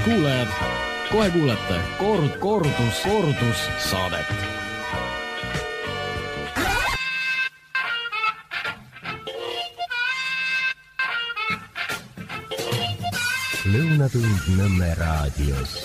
kuulajad, kohe kuulete kordus saadet. Lõunatund Nõmme raadios.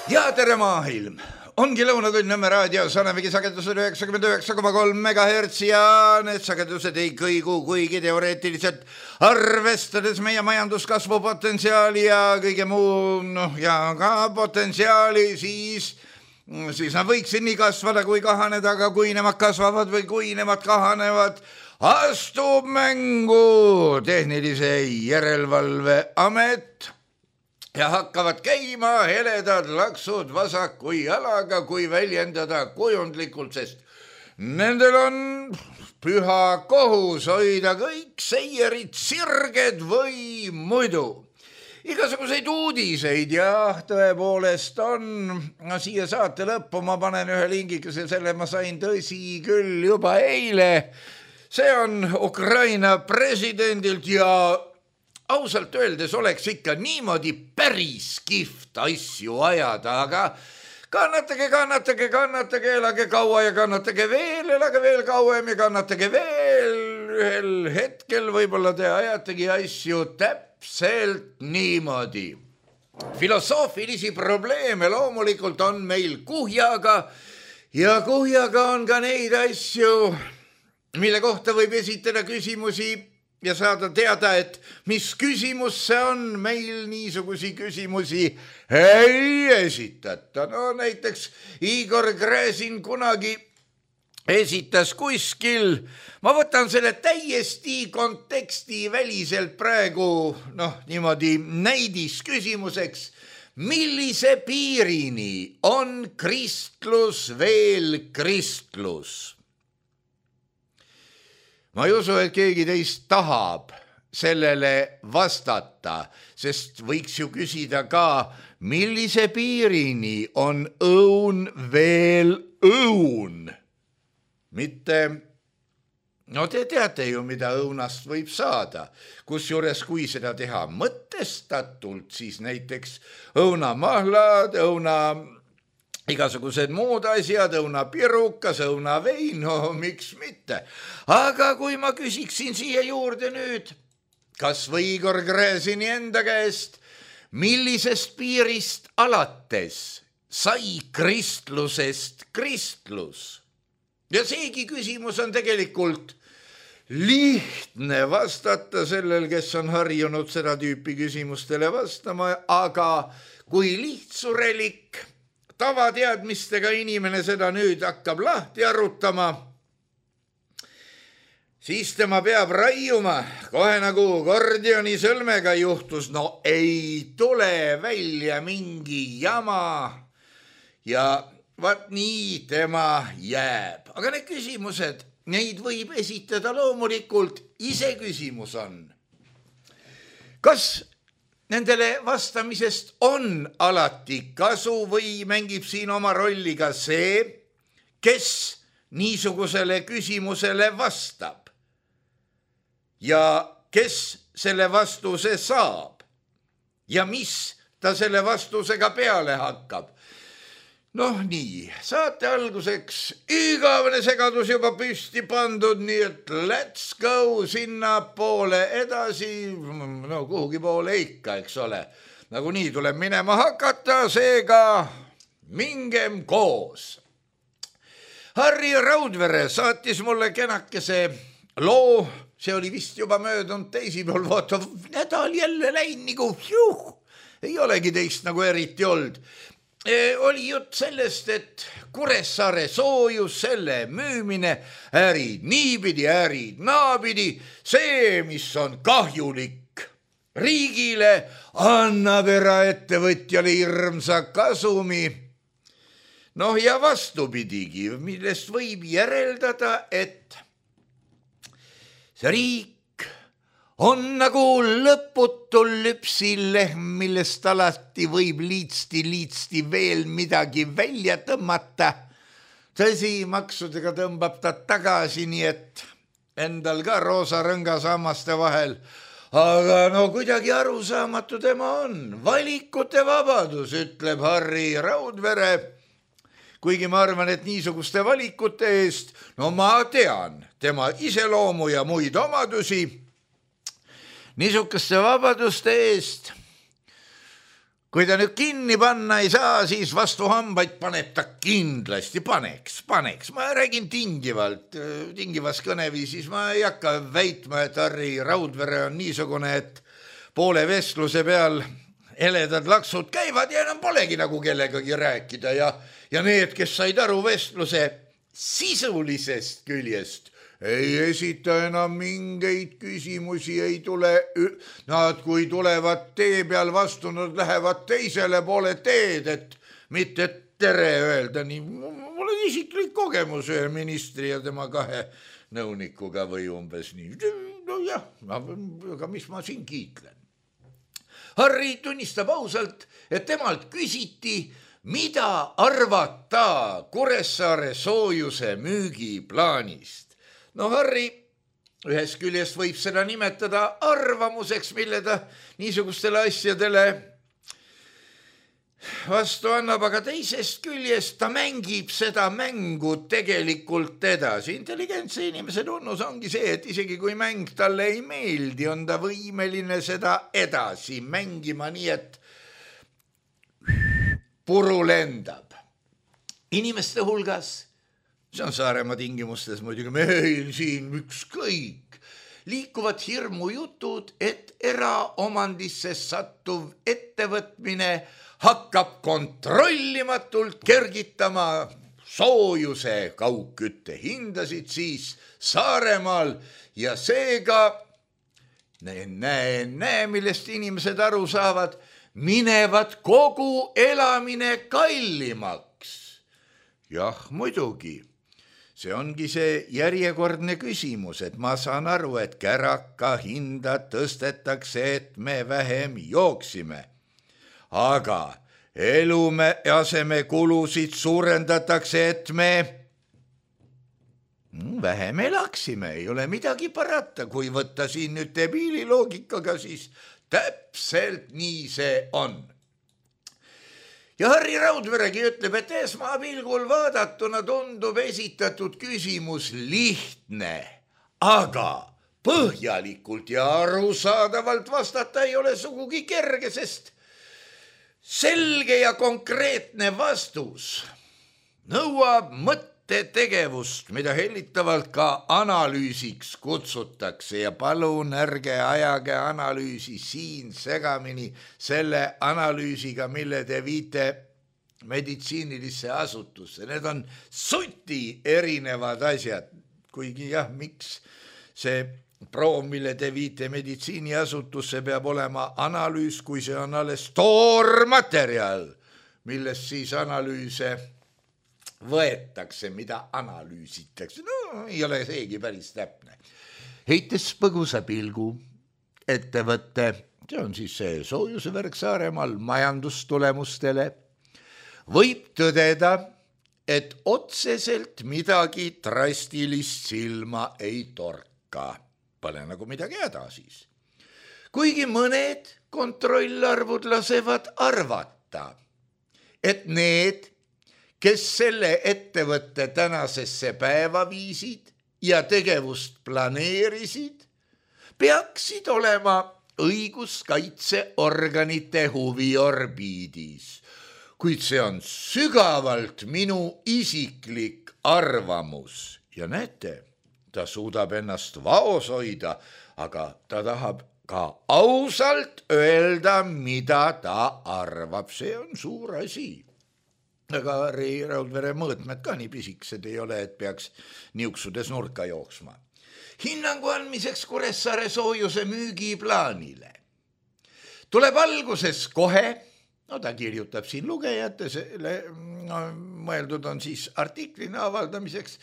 Ja tere maailm! Ongi Lõunatund Nõmme raadios, olemegi sagedusel 99,3 MHz ja need sagedused ei kõigu, kuigi teoreetiliselt arvestades meie majanduskasvu potentsiaali ja kõige muu, ja ka potentsiaali, siis nad võiksid nii kasvada kui kahaneda, aga kui nemad kasvavad või kui nemad kahanevad, astub mängu Tehnilise Järelevalve Amet ja hakkavad käima heledad laksud vasaku jalaga, kui väljendada kujundlikult, sest nendel on püha kohus hoida kõik seierid sirged või muidu. Igasuguseid uudiseid ja tõepoolest on, siia saate lõppu ma panen ühe lingikese, selle ma sain tõsi küll juba eile. See on Ukraina presidendilt ja ausalt öeldes oleks ikka niimoodi päris kihvt asju ajada, aga kannatage, elage kaua ja kannatage veel, elage veel kauem ja kannatage veel. Ühel hetkel võib-olla te ajategi asju täpselt niimoodi. Filosoofilisi probleeme loomulikult on meil kuhjaga ja kuhjaga on ka neid asju, mille kohta võib esitada küsimusi ja saada teada, et mis küsimus see on, meil niisugusi küsimusi ei esitata. No näiteks Igor Gräzin kunagi esitas kuskil, ma võtan selle täiesti konteksti väliselt praegu, niimoodi näidis küsimuseks, millise piirini on kristlus veel kristlus? Ma ei usu, et keegi teist tahab sellele vastata, sest võiks ju küsida ka, millise piirini on õun veel õun. Mitte, te teate ju, mida õunast võib saada, kusjuures kui seda teha mõtestatult, siis näiteks õunamahlad, igasugused muud asjad, õunapirukas, õunavein, miks mitte. Aga kui ma küsiksin siia juurde nüüd, kas või Igor Gräzini enda käest, millisest piirist alates sai kristlusest kristlus? Ja seegi küsimus on tegelikult lihtne vastata sellel, kes on harjunud seda tüüpi küsimustele vastama, aga kui lihtsurelik tavateadmistega inimene seda nüüd hakkab lahti arutama, siis tema peab raiuma, kohe nagu Gordioni sõlmega juhtus, ei tule välja mingi jama ja vaat nii tema jääb. Aga need küsimused, neid võib esitada loomulikult, iseküsimus on. Kas nendele vastamisest on alati kasu või mängib siin oma rolli ka see, kes niisugusele küsimusele vastab ja kes selle vastuse saab ja mis ta selle vastusega peale hakkab. Nii, saate alguseks igavene segadus juba püsti pandud, nii et let's go sinna poole edasi, kuhugi poole ikka, eks ole. Nagu nii tuleb minema hakata, seega mingem koos. Harri Raudvere saatis mulle kenakese loo, see oli vist juba möödunud teisipäeval, vaata, nädal jälle läinud nagu, ei olegi teist nagu eriti olnud. Oli jutt sellest, et Kuressaare soojus, selle müümine, ärid niipidi, ärid naapidi, see, mis on kahjulik riigile, annab eraettevõtjale hirmsa kasumi. Ja vastupidigi, millest võib järeldada, et see riik on nagu lõputul lüpsilehm, millest alati võib liitsti veel midagi välja tõmmata. Tõsi, maksudega tõmbab ta tagasi, nii et endal ka roosa rõngas hammaste vahel aga no kuidagi arusaamatu tema on. Valikute vabadus, ütleb Harri Raudvere. Kuigi ma arvan, et niisuguste valikute eest, no ma tean tema iseloomu ja muid omadusi. Niisuguste vabaduste eest, kui ta nüüd kinni panna ei saa, siis vastu hambaid paneb ta kindlasti, paneks. Ma räägin tingivas kõneviisis, ma ei hakka väitma, et Harri Raudvere on niisugune, et poole vestluse peal heledad laksud käivad ja enam polegi nagu kellegagi rääkida ja need, kes said aru vestluse sisulisest küljest, ei esita enam mingeid küsimusi, ei tule, nad kui tulevad tee peal vastu, nad lähevad teisele poole teed, et mitte tere öelda, nii mul on isiklik kogemus ühe ministri ja tema 2 nõunikuga või umbes nii. No jah, aga mis ma siin kiitlen? Harri tunnistab ausalt, et temalt küsiti, mida arvata Kuressaare soojuse müügiplaanist. No Harri ühest küljest võib seda nimetada arvamuseks, mille ta niisugustele asjadele vastu annab, aga teisest küljest ta mängib seda mängu tegelikult edasi. Intelligentse inimese tunnus ongi see, et isegi kui mäng talle ei meeldi, on ta võimeline seda edasi mängima nii, et puru lendab. Inimeste hulgas, see on Saaremaa tingimustes muidugi, meil siin ükskõik, liikuvad hirmujutud, et eraomandisse sattuv ettevõtmine hakkab kontrollimatult kergitama soojuse kaugkütte hindasid siis Saaremaal ja seega, millest inimesed aru saavad, minevad kogu elamine kallimaks. Jah, muidugi. See ongi see järjekordne küsimus, et ma saan aru, et käraka hinda tõstetakse, et me vähem jooksime. Aga eluasemekulusid suurendatakse, et me vähem elaksime. Ei ole midagi parata, kui võtta siin nüüd debiililoogikaga, siis täpselt nii see on. Ja Harri Raudveregi ütleb, et esmapilgul vaadatuna tundub esitatud küsimus lihtne, aga põhjalikult ja arusaadavalt vastata ei ole sugugi kerge, sest selge ja konkreetne vastus nõuab mõttetegevust, mida hellitavalt ka analüüsiks kutsutakse ja palun ärge ajage analüüsi siin segamini selle analüüsiga, mille te viite meditsiinilisse asutusse. Need on suti erinevad asjad, kuigi jah, miks see proov, mille te viite meditsiiniasutusse, peab olema analüüs, kui see on alles toormaterjal, millest siis analüüse võetakse, mida analüüsitakse. No, ei ole seegi päris täpne. Heites põgusa pilgu ettevõtte, see on siis see soojusevärk Saaremaal majandustulemustele, võib tõdeda, et otseselt midagi drastilist silma ei torka. Pole nagu midagi häda siis. Kuigi mõned kontrollarvud lasevad arvata, et need, kes selle ettevõtte tänasesse päeva viisid ja tegevust planeerisid, peaksid olema õiguskaitseorganite huviorbiidis. Kuid see on sügavalt minu isiklik arvamus. Ja näete, ta suudab ennast vaos hoida, aga ta tahab ka ausalt öelda, mida ta arvab. See on suur asi. Aga Harri Raudvere mõõtmed ka nii pisikesed ei ole, et peaks niuksudes nurka jooksma. Hinnangu andmiseks Kuressaare soojuse müügiplaanile tuleb alguses kohe, no ta kirjutab siin lugejate, mõeldud on siis artiklina avaldamiseks,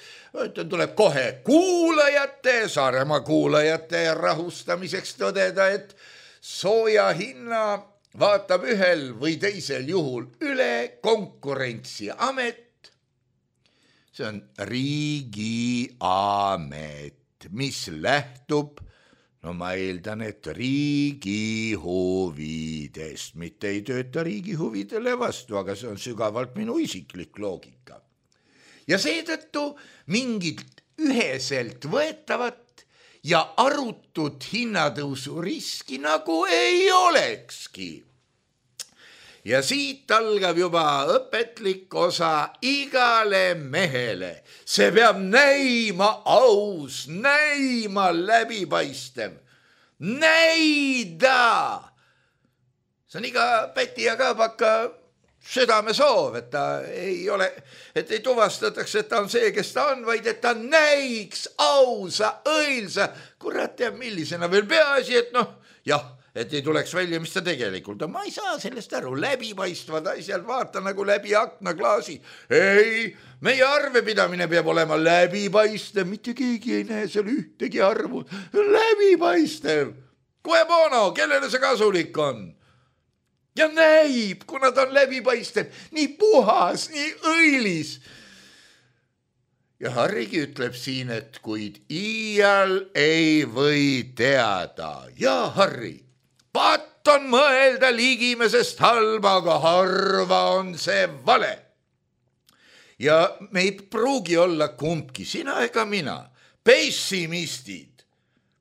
tuleb kohe kuulajate, Saaremaa kuulajate rahustamiseks tõdeda, et sooja hinna vaatab ühel või teisel juhul üle Konkurentsiamet. See on riigiamet, mis lähtub no ma eeldan, et riigi huvidest, mitte ei tööta riigi huvidele vastu, aga see on sügavalt minu isiklik loogika. Ja seetõttu mingit üheselt võetavat ja arutud hinnatõusu riski nagu ei olekski. Ja siit algab juba õpetlik osa igale mehele. See peab näima aus, näima läbipaistev. Näida! See on iga päti ja kaabaka südame soov, et ta ei ole, et ei tuvastataks, et ta on see, kes ta on, vaid et ta näiks ausa, õilsa, kurat teab millisena veel peaasi, et jah, et ei tuleks välja, mis ta tegelikult on. Ma ei saa sellest aru, läbipaistvad asjad, vaata nagu läbi aknaklaasi. Ei, meie arvepidamine peab olema läbipaistev, mitte keegi ei näe seal ühtegi arvu. Läbipaistev, kohe bono, kellele see kasulik on? Ja näib, kuna ta on läbipaistev, nii puhas, nii õilis. Ja Harrigi ütleb siin, et kuid iial ei või teada. Ja Harri, patt on mõelda ligimesest halba, aga harva on see vale. Ja me ei pruugi olla kumbki, sina ega mina, pessimistid,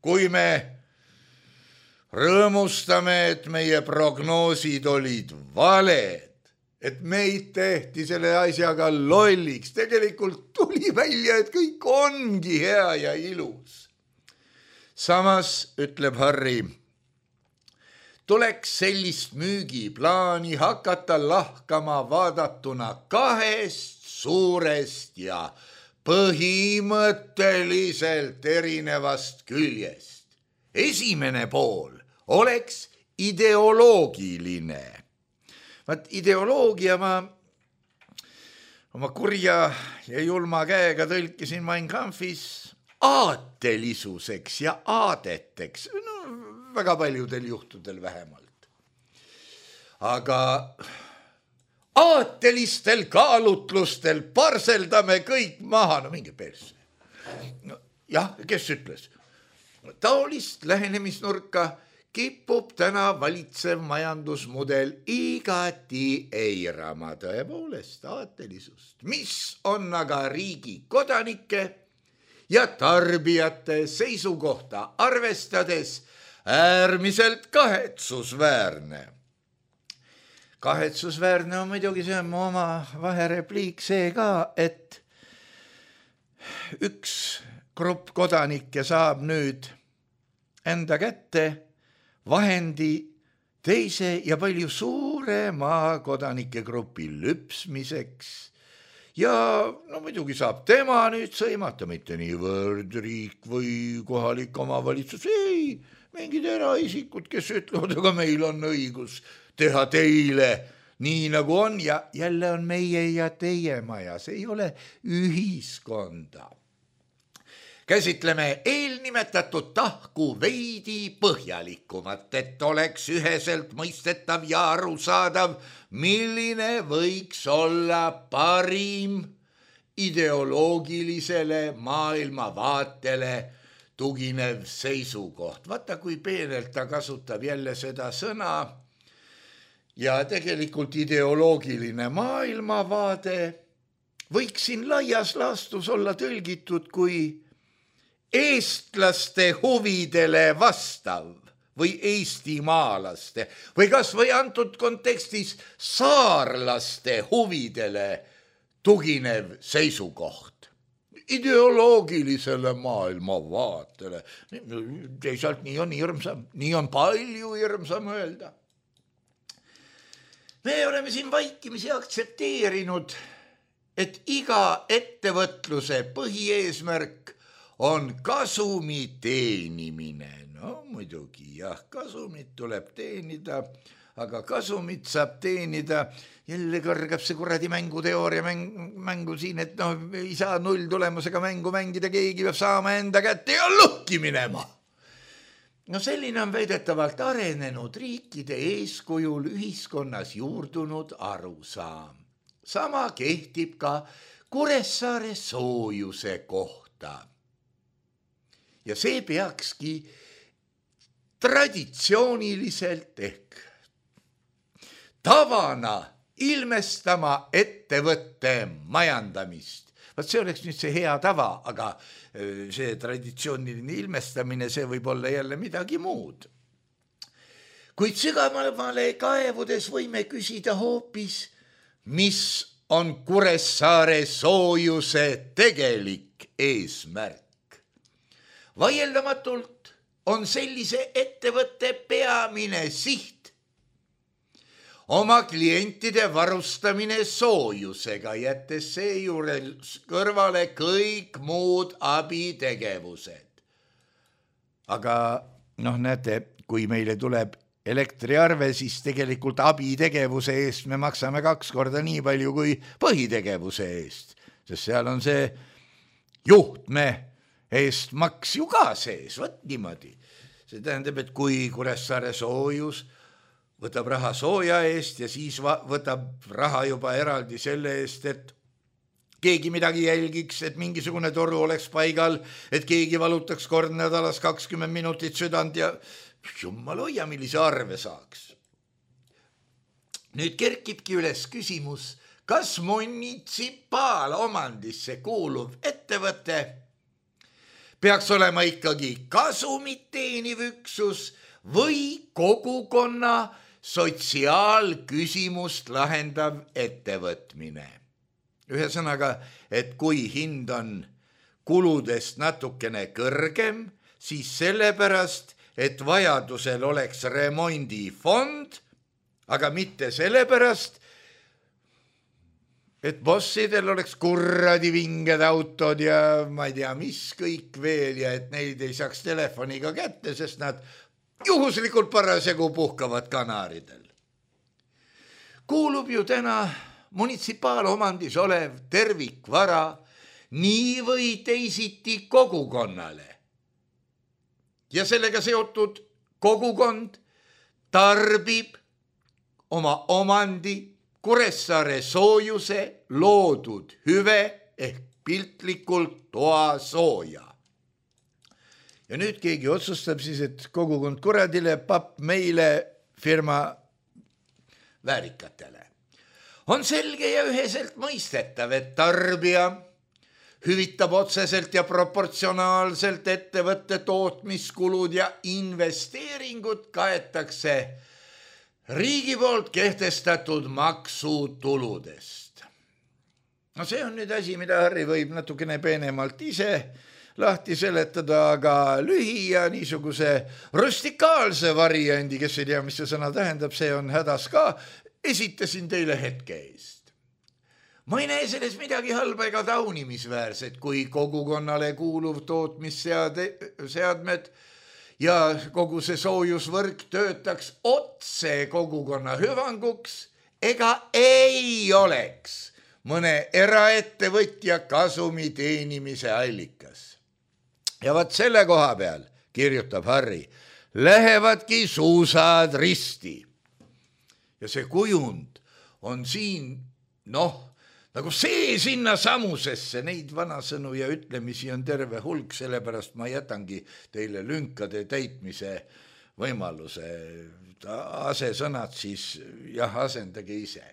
kui me rõõmustame, et meie prognoosid olid valed, et meid tehti selle asjaga lolliks. Tegelikult tuli välja, et kõik ongi hea ja ilus. Samas ütleb Harri, tuleks sellist müügiplaani hakata lahkama vaadatuna kahest suurest ja põhimõtteliselt erinevast küljest. Esimene pool oleks ideoloogiline. Vaat ideoloogia ma oma kurja ja julma käega tõlkisin Mein Kampfis aatelisuseks ja aadeteks. Väga paljudel juhtudel vähemalt. Aga aatelistel kaalutlustel parseldame kõik maha. No minge persse. Jah, kes ütles? Taolist lähenemisnurka kipub täna valitsev majandusmudel igati eirama tõepoolest aatelisust, mis on aga riigi kodanike ja tarbijate seisukohta arvestades äärmiselt kahetsusväärne. Kahetsusväärne on muidugi, see on mu oma vaherepliik see ka, et üks grupp kodanikke saab nüüd enda kätte vahendi teise ja palju suurema kodanike grupi lüpsmiseks ja muidugi saab tema nüüd sõimata, mitte niivõrd riik või kohalik omavalitsus, ei, mingid eraisikud, kes ütlevad, aga meil on õigus teha teile nii nagu on ja jälle on meie ja teie maja, see ei ole ühiskonda. Käsitleme eelnimetatud tahku veidi põhjalikumat, et oleks üheselt mõistetav ja arusaadav, milline võiks olla parim ideoloogilisele maailmavaatele tuginev seisukoht. Vaata, kui peenelt ta kasutab jälle seda sõna ja tegelikult ideoloogiline maailmavaade võiks siin laias laastus olla tõlgitud kui eestlaste huvidele vastav või eestimaalaste või kas või antud kontekstis saarlaste huvidele tuginev seisukoht. Ideoloogilisele maailmavaatele. Teisalt nii on hirmsam, nii on palju hirmsam öelda. Me oleme siin vaikimisi aktsepteerinud, et iga ettevõtluse põhieesmärk on kasumi teenimine. No muidugi jah, kasumit tuleb teenida, aga kasumit saab teenida, jälle kõrgab see kuradi mänguteooria mängu siin, et ei saa nulltulemusega mängu mängida, keegi peab saama enda kätte ja lõhki minema. Selline on väidetavalt arenenud riikide eeskujul ühiskonnas juurdunud arusaam. Sama kehtib ka Kuressaare soojuse kohta. Ja see peakski traditsiooniliselt ehk tavana ilmestama ettevõtte majandamist. Vaat see oleks nüüd see hea tava, aga see traditsiooniline ilmestamine, see võib olla jälle midagi muud. Kuid sügavamale kaevudes võime küsida hoopis, mis on Kuressaare soojuse tegelik eesmärk. Vaieldamatult on sellise ettevõtte peamine siht oma klientide varustamine soojusega, jättes seejuures kõrvale kõik muud abitegevused. Aga näete, kui meile tuleb elektriarve, siis tegelikult abitegevuse eest me maksame 2 korda nii palju kui põhitegevuse eest, sest seal on see juhtme eest maks ju ka sees, võt niimoodi. See tähendab, et kui Kuressaare soojus võtab raha sooja eest ja siis võtab raha juba eraldi selle eest, et keegi midagi jälgiks, et mingisugune toru oleks paigal, et keegi valutaks kord nädalas 20 minutit südant ja jumal hoia, millise arve saaks. Nüüd kerkibki üles küsimus, kas munitsipaalomandisse kuuluv ettevõte peaks olema ikkagi kasumit teeniv üksus või kogukonna sotsiaalküsimust lahendav ettevõtmine. Ühesõnaga, et kui hind on kuludest natukene kõrgem, siis sellepärast, et vajadusel oleks remondifond, aga mitte sellepärast, et bossidel oleks kurradi vinged autod ja ma ei tea, mis kõik veel ja et neid ei saaks telefoniga kätte, sest nad juhuslikult parasjagu puhkavad Kanaaridel. Kuulub ju täna munitsipaalomandis olev tervikvara nii või teisiti kogukonnale. Ja sellega seotud kogukond tarbib oma omandi Kuressaare soojuse loodud hüve ehk piltlikult toasooja. Ja nüüd keegi otsustab siis, et kogukond kuradile, papp meile, firma väärikatele. On selge ja üheselt mõistetav, et tarbija hüvitab otseselt ja proportsionaalselt ettevõtte tootmiskulud ja investeeringud kaetakse riigi poolt kehtestatud maksutuludest. No see on nüüd asi, mida Harri võib natukene peenemalt ise lahti seletada, aga lühi ja niisuguse rustikaalse variandi, kes ei tea, mis see sõna tähendab, see on hädas ka, esitasin teile hetke eest. Ma ei näe selles midagi halba ega taunimisväärset, kui kogukonnale kuuluv tootmisseadmed ja kogu see soojusvõrk töötaks otse kogukonna hüvanguks ega ei oleks mõne eraettevõtja kasumi teenimise allikas. Ja vaat selle koha peal, kirjutab Harri, lähevadki suusad risti. Ja see kujund on siin, nagu see sinna samusesse, neid vanasõnu ja ütlemisi on terve hulk, sellepärast ma jätangi teile lünkade täitmise võimaluse. Asesõnad siis, asendage ise.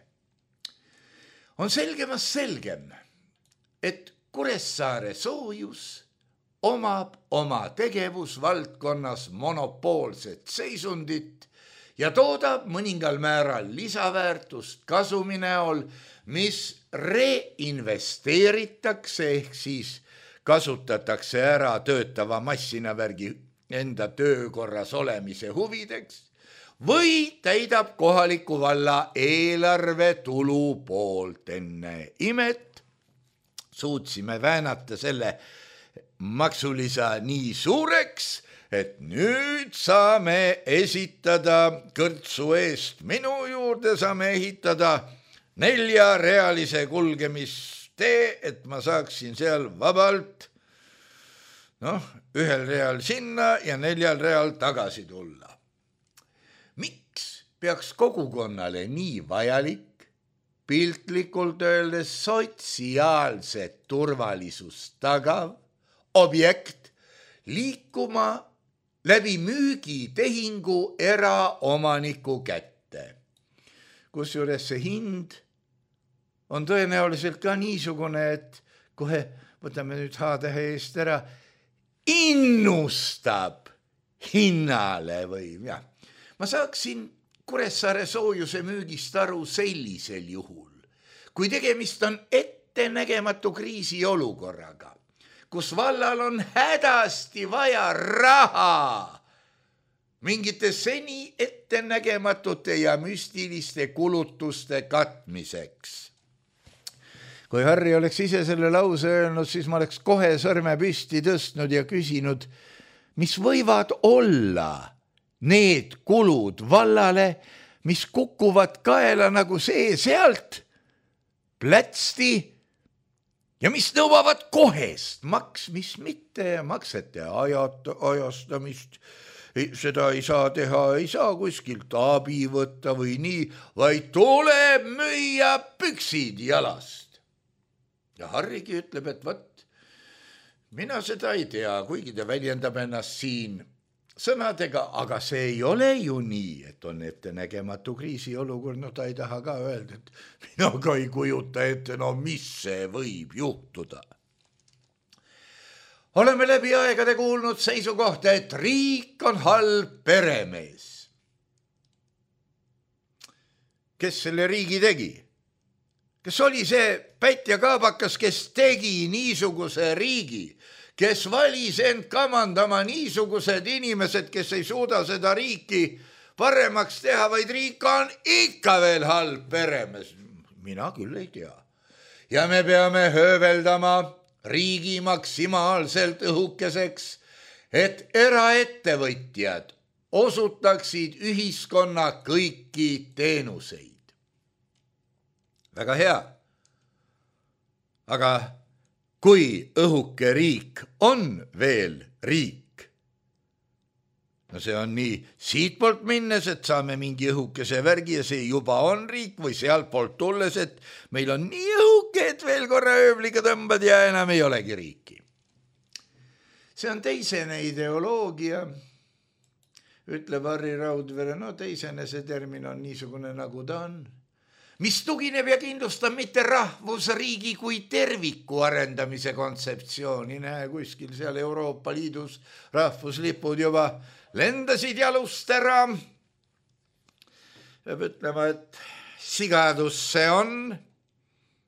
On selgemast selgem, et Kuressaare soojus omab oma tegevusvaldkonnas monopoolset seisundit ja toodab mõningal määral lisaväärtust kasumi näol, mis reinvesteeritakse ehk siis kasutatakse ära töötava massinavärgi enda töökorras olemise huvideks või täidab kohaliku valla eelarve tulu poolt. Enne imet suutsime väänata selle maksulisa nii suureks, et nüüd saame esitada kõrtsu eest minu juurde, saame ehitada 4-realise kulgemistee, et ma saaksin seal vabalt 1 real sinna ja 4 real tagasi tulla. Miks peaks kogukonnale nii vajalik, piltlikult öeldes sotsiaalset turvalisust tagav objekt liikuma läbi müügitehingu eraomaniku kätte. Kusjuures see hind on tõenäoliselt ka niisugune, et kohe võtame nüüd H-tähe eest ära, innustab hinnale või jah. Ma saaksin Kuressaare soojuse müügist aru sellisel juhul, kui tegemist on ettenägematu kriisiolukorraga, kus vallal on hädasti vaja raha mingite seni ettenägematute ja müstiliste kulutuste katmiseks. Kui Harri oleks ise selle lause öelnud, siis ma oleks kohe sõrme püsti tõstnud ja küsinud, mis võivad olla need kulud vallale, mis kukuvad kaela nagu see sealt, plätsti ja mis nõuavad kohest maksmist, mitte maksete ajastamist. Seda ei saa teha, ei saa kuskilt abi võtta või nii, vaid tuleb müüa püksid jalast. Ja Harrigi ütleb, et võt, mina seda ei tea, kuigi ta väljendab ennast siin sõnadega, aga see ei ole ju nii, et on ettenägematu kriisiolukord, no ta ei taha ka öelda, et mina ka ei kujuta ette, no mis see võib juhtuda. Oleme läbi aegade kuulnud seisukohta, et riik on halb peremees. Kes selle riigi tegi? Kes oli see Pätt ja Kaabakas, kes tegi niisuguse riigi, kes valis end kamandama niisugused inimesed, kes ei suuda seda riiki paremaks teha, vaid riik on ikka veel halb peremees. Mina küll ei tea. Ja me peame hööveldama riigi maksimaalselt õhukeseks, et eraettevõtjad osutaksid ühiskonna kõiki teenuseid. Väga hea. Aga kui õhuke riik on veel riik, no see on nii siitpoolt minnes, et saame mingi õhukese värgi ja see juba on riik või sealt poolt tulles, et meil on nii õhuke, et veel korra ööbliga tõmbad ja enam ei olegi riiki. See on teisene ideoloogia, ütleb Harri Raudvere, no teisene see termin on niisugune nagu ta on, mis tugineb ja kindlustab mitte rahvusriigi kui terviku arendamise kontseptsiooni. Näe, kuskil seal Euroopa Liidus rahvuslipud juba lendasid jalust ära. Peab ütlema, et sigadus see on,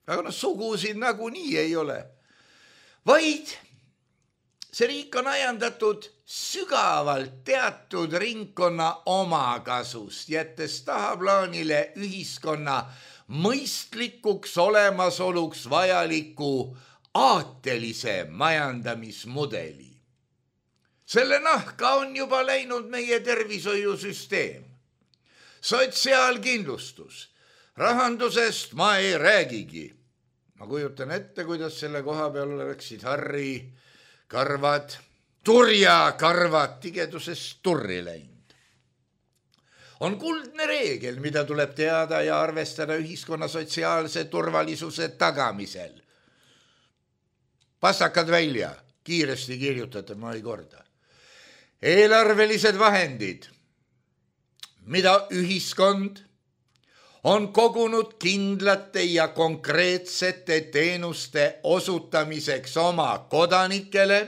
aga sugusid nagunii ei ole. Vaid see riik on ajandatud sügavalt teatud ringkonna omakasust, jättes tahaplaanile ühiskonna mõistlikuks olemasoluks vajaliku aatelise majandamismudeli. Selle nahka on juba läinud meie tervishoiusüsteem, sotsiaalkindlustus, rahandusest ma ei räägigi. Ma kujutan ette, kuidas selle koha peal oleksid Harri karvad, turja karvad tigedusest turri läinud. On kuldne reegel, mida tuleb teada ja arvestada ühiskonna sotsiaalse turvalisuse tagamisel. Pastakad välja, kiiresti kirjutate, ma ei korda. Eelarvelised vahendid, mida ühiskond on kogunud kindlate ja konkreetsete teenuste osutamiseks oma kodanikele,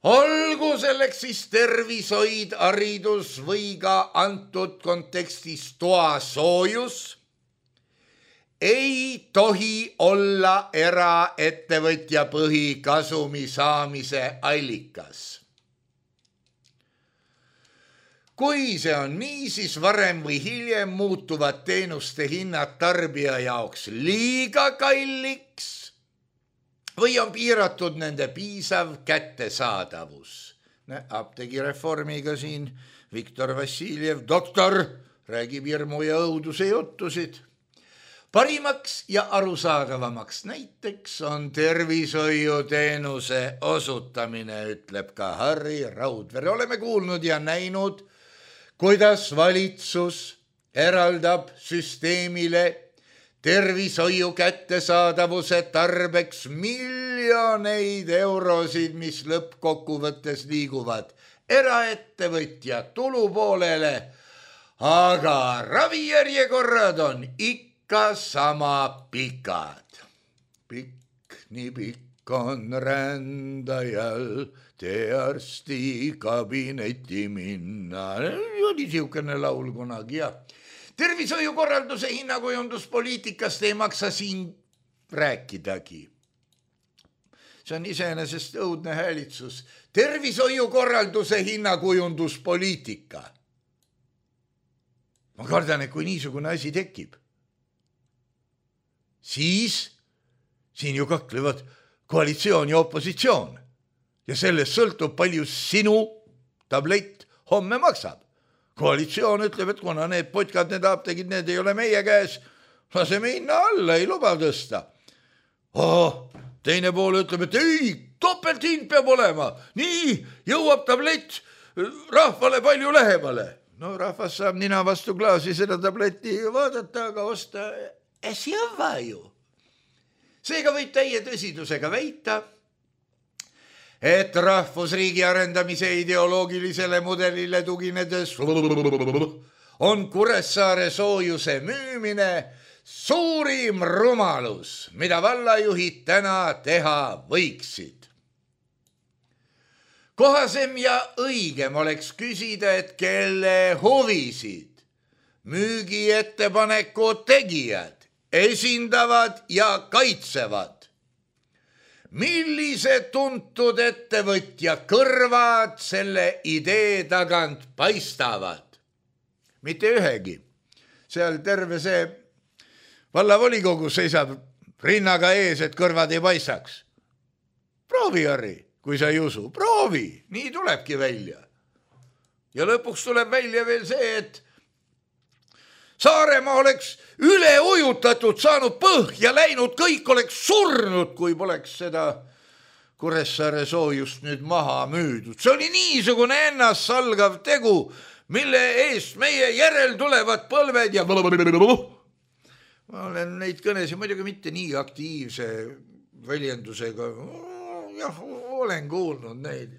olgu selleks siis tervishoid, haridus või ka antud kontekstis toasoojus, ei tohi olla eraettevõtja põhikasumi saamise allikas. Kui see on nii, siis varem või hiljem muutuvad teenuste hinnad tarbija jaoks liiga kalliks või on piiratud nende piisav kättesaadavus. Apteegireformiga siin Viktor Vassiljev, doktor, räägib hirmu ja õuduse juttusid. Parimaks ja arusaadavamaks näiteks on tervishoiuteenuse osutamine, ütleb ka Harri Raudvere. Oleme kuulnud ja näinud, kuidas valitsus eraldab süsteemile tervishoiu kättesaadavuse tarbeks miljoneid eurosid, mis lõppkokkuvõttes liiguvad eraettevõtja tulupoolele, aga ravijärjekorrad on ikka sama pikad. Pikk, nii pikk on rändajal tee arsti kabinetti minna. Oli siukene laul kunagi ja tervishoiukorralduse hinnakujunduspoliitikast ei maksa siin rääkidagi. See on iseenesest õudne häälitsus. Tervishoiukorralduse hinnakujunduspoliitika. Ma kardan, et kui niisugune asi tekib, siis siin ju kaklevad koalitsioon ja opositsioon ja sellest sõltub palju sinu tablett homme maksab. Koalitsioon ütleb, et kuna need potkad, need apteegid, need ei ole meie käes, laseme hinna alla, ei luba tõsta. Teine pool ütleb, et ei, topelthind peab olema. Nii jõuab tablett rahvale palju lähemale. No rahvas saab nina vastu klaasi seda tabletti vaadata, aga osta äsjava ju. Seega võib täie tõsidusega väita, et rahvusriigi arendamise ideoloogilisele mudelile tuginedes on Kuressaare soojuse müümine suurim rumalus, mida vallajuhid täna teha võiksid. Kohasem ja õigem oleks küsida, et kelle huvisid müügiettepaneku tegijad esindavad ja kaitsevad. Millised tuntud ettevõtja kõrvad selle idee tagant paistavad? Mitte ühegi. Seal terve see vallavolikogu seisab rinnaga ees, et kõrvad ei paistaks. Proovi, Harri, kui sa ei usu. Proovi, nii tulebki välja. Ja lõpuks tuleb välja veel see, et Saaremaa oleks üle ujutatud, saanud põhja läinud, kõik oleks surnud, kui poleks seda Kuressaare soojust nüüd maha müüdud. See oli niisugune ennast salgav tegu, mille eest meie järel tulevad põlved ja ma olen neid kõnesid muidugi mitte nii aktiivse väljendusega. Jah, olen kuulnud neid.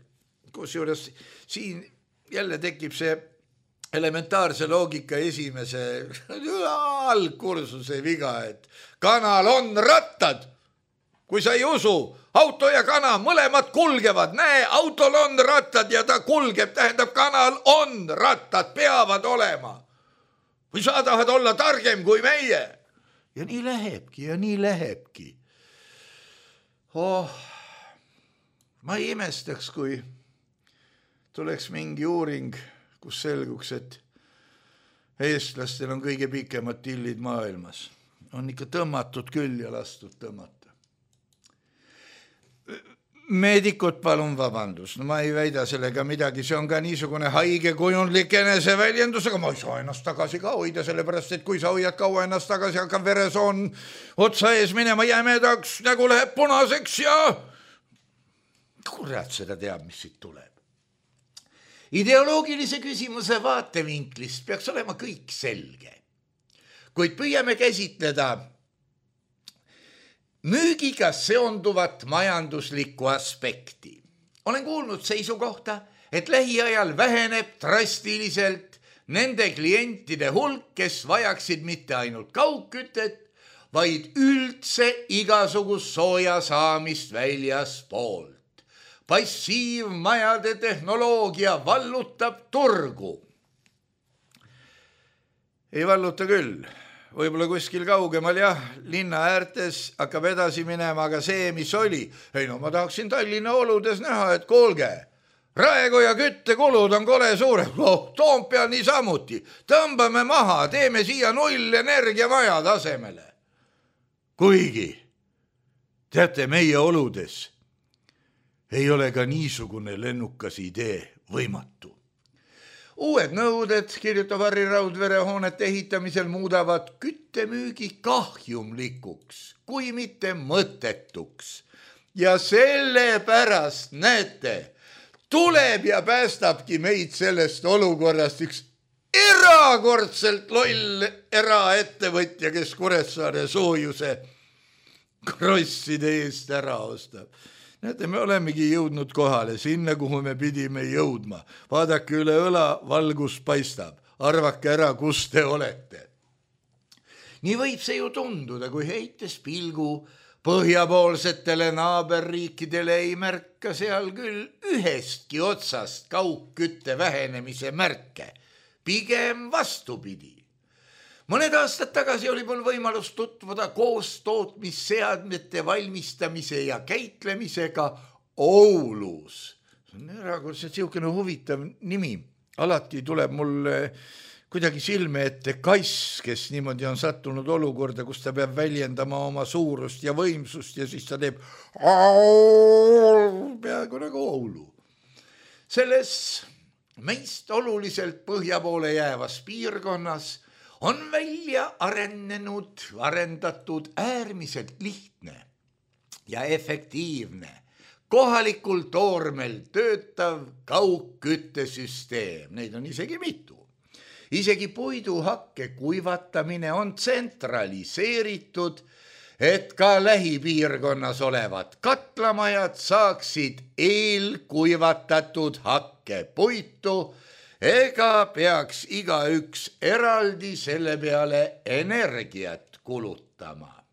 Kusjuures siin jälle tekib see elementaarse loogika esimese algkursuse viga, et kanal on rattad. Kui sa ei usu, auto ja kana mõlemad kulgevad. Näe, autol on rattad ja ta kulgeb, tähendab kanal on rattad, peavad olema. Või sa tahad olla targem kui meie? Ja nii lähebki ja nii lähebki. Ma ei imestaks, kui tuleks mingi uuring, kus selguks, et eestlastel on kõige pikemad tillid maailmas. On ikka tõmmatud küll ja lastud tõmmata. Meedikud, palun vabandust. No ma ei väida sellega midagi. See on ka niisugune haige kujundlik eneseväljendus, aga ma ei saa ennast tagasi ka hoida, sellepärast, et kui sa hoiad kaua ennast tagasi, hakkab veresoon otsa ees minema jämedaks, nägu läheb punaseks ja kurat seda teab, mis siit tuleb. Ideoloogilise küsimuse vaatevinklist peaks olema kõik selge, kuid püüame käsitleda müügiga seonduvat majanduslikku aspekti. Olen kuulnud seisukohta, et lähiajal väheneb drastiliselt nende klientide hulk, kes vajaksid mitte ainult kaugkütet, vaid üldse igasugust sooja saamist väljaspoolt. Passiivmajade tehnoloogia vallutab turgu. Ei valluta küll. Võib-olla kuskil kaugemal, jah, linna äärtes hakkab edasi minema, aga see, mis oli. Ei no, ma tahaksin Tallinna oludes näha, et kuulge, raegu ja küttekulud on kole suure. Toompeal nii samuti. Tõmbame maha, teeme siia 0 energiamaja tasemele. Kuigi, teate, meie oludes ei ole ka niisugune lennukas idee võimatu. Uued nõuded, kirjutab Harri Raudvere, hoonete ehitamisel muudavad küttemüügi kahjumlikuks, kui mitte mõttetuks. Ja sellepärast, näete, tuleb ja päästabki meid sellest olukorrast üks erakordselt loll eraettevõtja, kes Kuressaare soojuse krosside eest ära ostab. Näete, me olemegi jõudnud kohale sinna, kuhu me pidime jõudma. Vaadake üle õla, valgus paistab. Arvake ära, kus te olete. Nii võib see ju tunduda, kui heites pilgu põhjapoolsetele naaberriikidele ei märka seal küll ühestki otsast kaugkütte vähenemise märke. Pigem vastupidi. Mõned aastad tagasi oli mul võimalus tutvuda koostootmisseadmete valmistamise ja käitlemisega Oulus. See on erakordselt siukene huvitav nimi. Alati tuleb mul kuidagi silme ette kass, kes niimoodi on sattunud olukorda, kus ta peab väljendama oma suurust ja võimsust ja siis ta teeb peaaegu nagu Oulu. Selles meist oluliselt põhja poole jäävas piirkonnas on välja arendatud äärmiselt lihtne ja efektiivne kohalikul toormel töötav kaugküttesüsteem. Neid on isegi mitu. Isegi puiduhakke kuivatamine on tsentraliseeritud, et ka lähipiirkonnas olevad katlamajad saaksid eelkuivatatud hakkepuitu ega peaks igaüks eraldi selle peale energiat kulutama.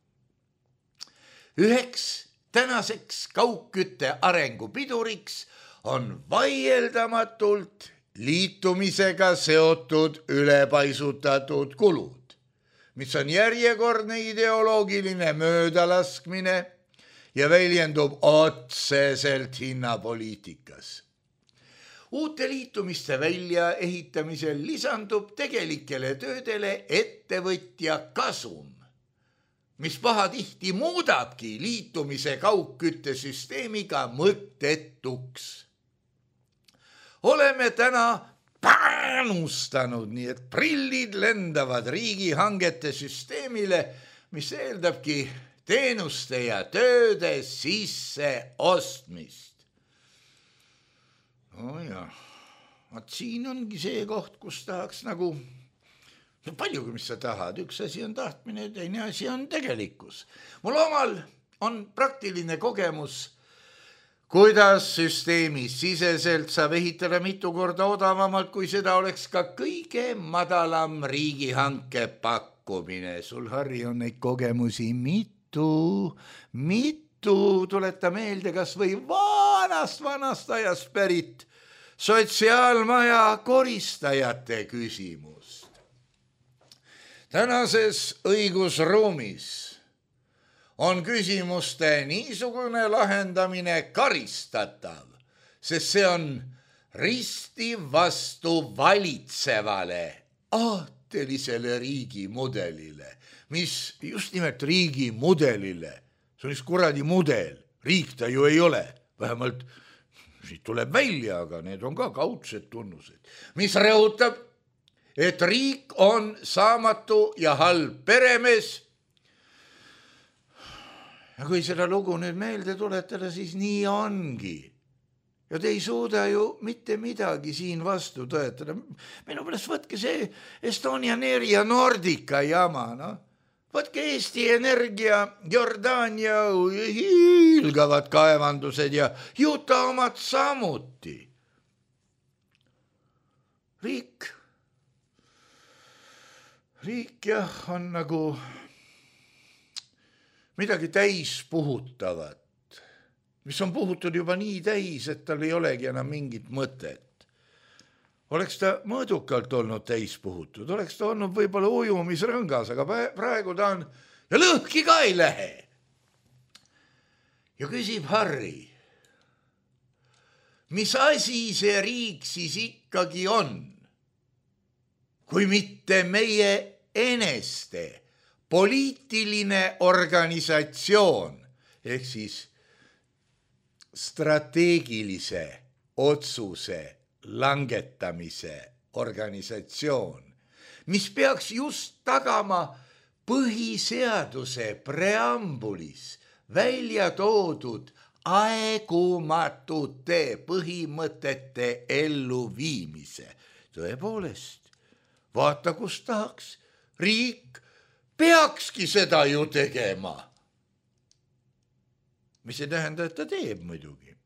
Üheks tänaseks kaugkütte arengupiduriks on vaieldamatult liitumisega seotud ülepaisutatud kulud, mis on järjekordne ideoloogiline möödalaskmine ja väljendub otseselt hinnapoliitikas. Uute liitumiste väljaehitamisel lisandub tegelikele töödele ettevõtja kasum, mis pahatihti muudabki liitumise kaugküttesüsteemiga mõttetuks. Oleme täna panustanud, nii et prillid lendavad riigihangete süsteemile, mis eeldabki teenuste ja tööde sisse ostmist. Vaat siin ongi see koht, kus tahaks nagu paljugi, mis sa tahad. Üks asi on tahtmine, teine asi on tegelikkus. Mul omal on praktiline kogemus, kuidas süsteemis siseselt saab ehitada mitu korda odavamalt, kui seda oleks ka kõige madalam riigihanke pakkumine. Sul, Harri, on neid kogemusi mitu. Tuleta meelde kas või vanast ajast pärit sotsiaalmaja koristajate küsimust. Tänases õigusruumis on küsimuste niisugune lahendamine karistatav, sest see on risti vastu valitsevale aatelisele riigimudelile, mis just nimelt riigimudelile, see on üks kuradi mudel, riik ta ju ei ole, vähemalt siit tuleb välja, aga need on ka kaudsed tunnused, mis rõhutab, et riik on saamatu ja halb peremees. Ja kui seda lugu nüüd meelde tuletada, siis nii ongi. Ja te ei suuda ju mitte midagi siin vastu tõetada. Minu pärast võtke see Estonian Air ja Nordica jama, no. Võtke Eesti Energia, Jordaania, hiilgavad kaevandused ja Juta omad samuti. Riik jah, on nagu midagi täis puhutavat, mis on puhutud juba nii täis, et tal ei olegi enam mingit mõtet. Oleks ta mõõdukalt olnud täis puhutud, oleks ta olnud võib-olla ujumisrõngas, aga praegu ta on ja lõhki ka ei lähe. Ja küsib Harri, mis asi see riik siis ikkagi on, kui mitte meie eneste poliitiline organisatsioon ehk siis strateegilise otsuse langetamise organisatsioon, mis peaks just tagama põhiseaduse preambulis välja toodud aegumatute põhimõtete elluviimise. Tõepoolest, vaata, kus tahaks. Riik peakski seda ju tegema. mis ei tähenda, et ta teeb muidugi.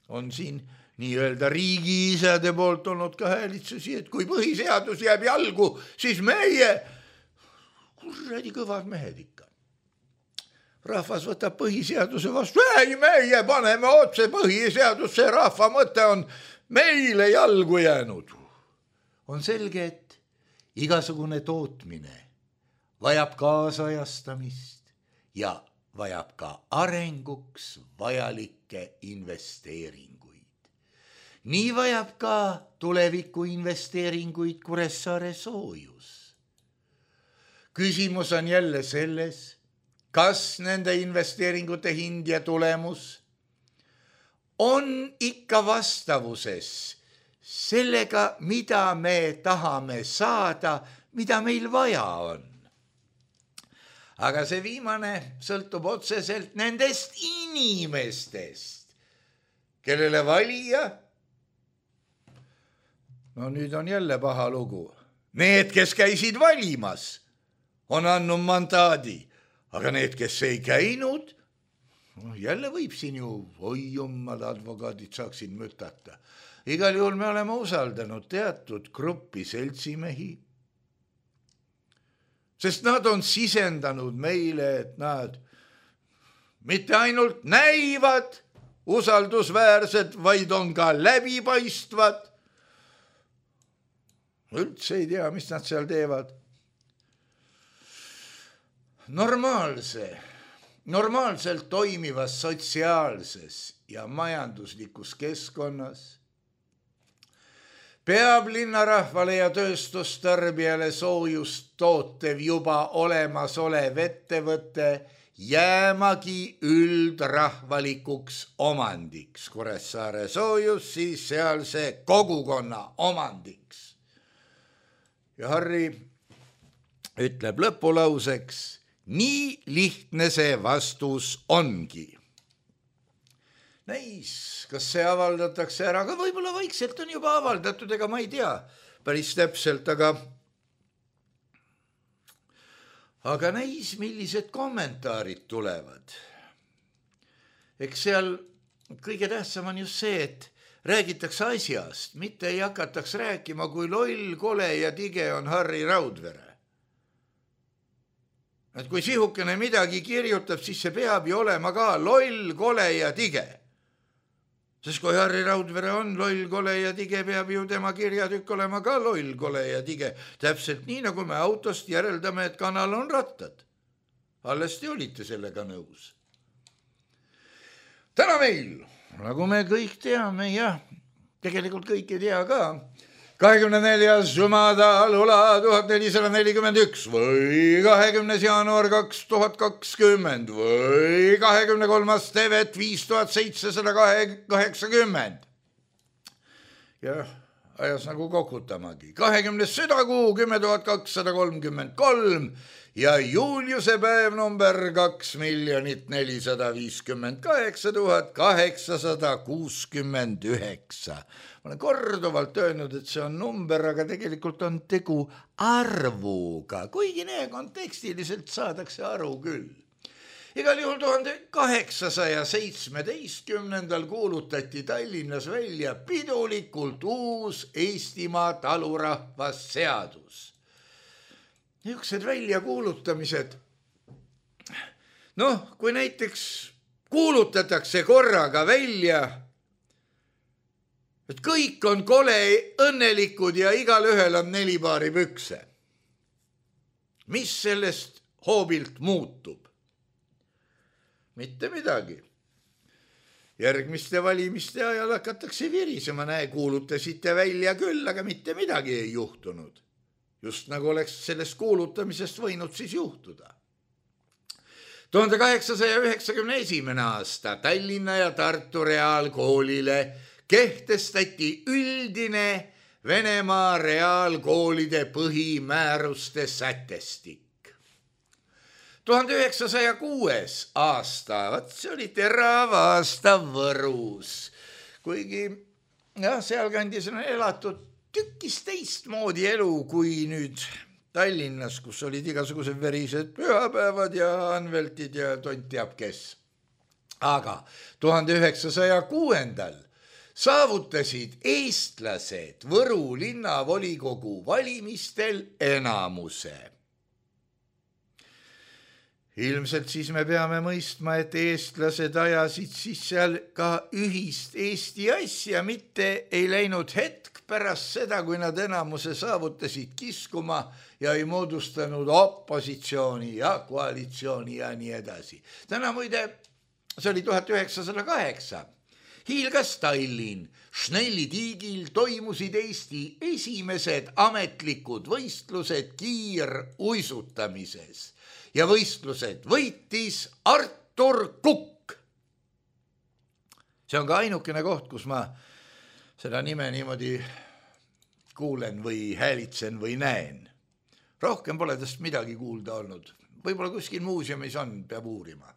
On siin nii-öelda riigiisade poolt olnud ka häälitsusi, et kui põhiseadus jääb jalgu, siis meie, kuradi kõvad mehed ikka. Rahvas võtab põhiseaduse vastu, ei meie paneme otse põhiseadusse, rahva mõte on meile jalgu jäänud. On selge, et igasugune tootmine vajab kaasajastamist ja vajab ka arenguks vajalikke investeeringuid. Nii vajab ka tuleviku investeeringuid Kuressaare soojus. Küsimus on jälle selles, kas nende investeeringute hind ja tulemus on ikka vastavuses sellega, mida me tahame saada, mida meil vaja on. Aga see viimane sõltub otseselt nendest inimestest, kellele valija, no nüüd on jälle paha lugu. Need, kes käisid valimas, on andnud mandaadi, aga need, kes ei käinud, jälle võib siin ju, oi jummad advokaadid saaksid mütata. Igal juhul me oleme usaldanud teatud gruppi seltsimehi, sest nad on sisendanud meile, et nad mitte ainult näivad usaldusväärsed, vaid on ka läbipaistvad. Üldse ei tea, mis nad seal teevad. Normaalselt toimivas sotsiaalses ja majanduslikus keskkonnas peab linnarahvale ja tööstustarbijale soojust tootev juba olemasolev ettevõte jäämagi üldrahvalikuks omandiks. Kuressaare soojus siis sealse kogukonna omandiks. Ja Harri ütleb lõpulauseks, nii lihtne see vastus ongi. Näis, kas see avaldatakse ära, aga võib-olla vaikselt on juba avaldatud, ega ma ei tea päris täpselt, aga näis, millised kommentaarid tulevad. Eks seal kõige tähtsam on just see, et räägitakse asjast, mitte ei hakataks rääkima, kui loll, kole ja tige on Harri Raudvere. Et kui sihukene midagi kirjutab, siis see peab ju olema ka loll, kole ja tige. Sest kui Harri Raudvere on loll, kole ja tige, peab ju tema kirjatükk olema ka loll, kole ja tige. Täpselt nii, nagu me autost järeldame, et kanal on rattad. Alles te olite sellega nõus. Täna meil, nagu me kõik teame, ja tegelikult kõik ei tea ka, 24. Jumada Lula 1441 või 20. jaanuar 2020 või 23. Tevet 5780. Jah, ajas nagu kokutamagi. 20. südakuu 10.233 ja Juliuse päev number 2,458,869. Ma olen korduvalt öelnud, et see on number, aga tegelikult on tegu arvuga, kuigi ne kontekstiliselt saadakse aru küll. Igal juhul 1817. kuulutati Tallinnas välja pidulikult uus Eestimaa talurahvasseadus. Niisugused väljakuulutamised, kui näiteks kuulutatakse korraga välja, et kõik on kole õnnelikud ja igal ühel on 4 paari pükse. Mis sellest hoobilt muutub? Mitte midagi. Järgmiste valimiste ajal hakatakse virisema, kuulutasite välja küll, aga mitte midagi ei juhtunud. Just nagu oleks sellest kuulutamisest võinud siis juhtuda. 1891. aasta Tallinna ja Tartu reaalkoolile kehtestati üldine Venemaa reaalkoolide põhimääruste sätestik. 1906. aasta, see oli terav aasta Võrus, kuigi sealkandis on elatud tükis teistmoodi elu kui nüüd Tallinnas, kus olid igasugused verised pühapäevad ja anveltid ja tont teab kes. Aga 1906. saavutasid eestlased Võru linnavolikogu valimistel enamuse. Ilmselt siis me peame mõistma, et eestlased ajasid siis seal ka ühist Eesti asja, mitte ei läinud hetk pärast seda, kui nad enamuse saavutasid kiskuma ja ei moodustanud opositsiooni ja koalitsiooni ja nii edasi. Täna muide, see oli 1908. Hiilgas Tallinn, Schnelli tiigil toimusid Eesti esimesed ametlikud võistlused kiiruisutamises. Ja võistlused võitis Artur Kukk. See on ka ainukene koht, kus ma seda nime niimoodi kuulen või häälitsen või näen. Rohkem pole tast midagi kuulda olnud. Võib-olla kuskil muuseumis on, peab uurima.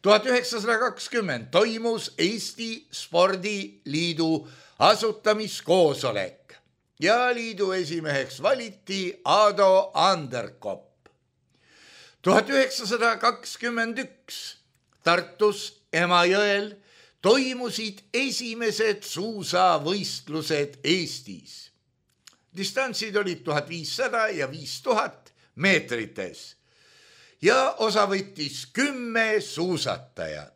1920 toimus Eesti Spordiliidu asutamiskoosolek ja liidu esimeheks valiti Ado Anderkopp. 1921 Tartus Emajõel toimusid esimesed suusavõistlused Eestis. Distantsid olid 1500 ja 5000 meetrites ja osa võttis 10 suusatajat.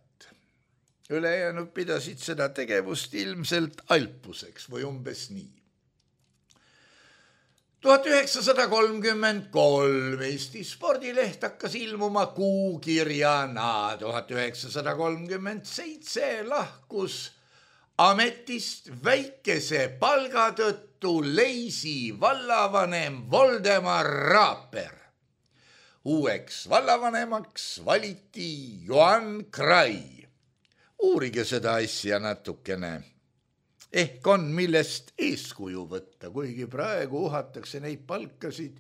Ülejäänud pidasid seda tegevust ilmselt alpuseks või umbes nii. 1933 Eesti spordileht hakkas ilmuma kuukirjana. 1937 lahkus ametist väikese palga tõttu Leisi vallavanem Voldemar Raaper. Uueks vallavanemaks valiti Johan Krai. Uurige seda asja natukene. Ehk on millest eeskuju võtta, kuigi praegu uhatakse neid palkasid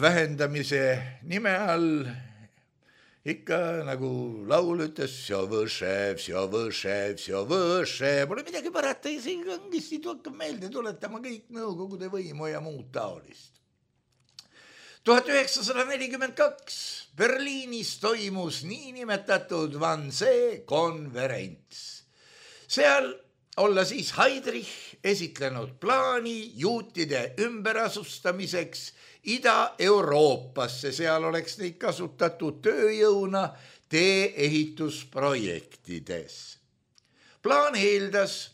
vähendamise nime all. Ikka nagu laul ütles, pole midagi parata ja see kangesti hakkab meelde tuletama kõik nõukogude võimu ja muud taolist. 1942 Berliinis toimus niinimetatud Wannsee konverents. Seal olla siis Heydrich esitlenud plaani juutide ümberasustamiseks Ida-Euroopasse. Seal oleks neid kasutatud tööjõuna tee-ehitusprojektides. Plaan eeldas,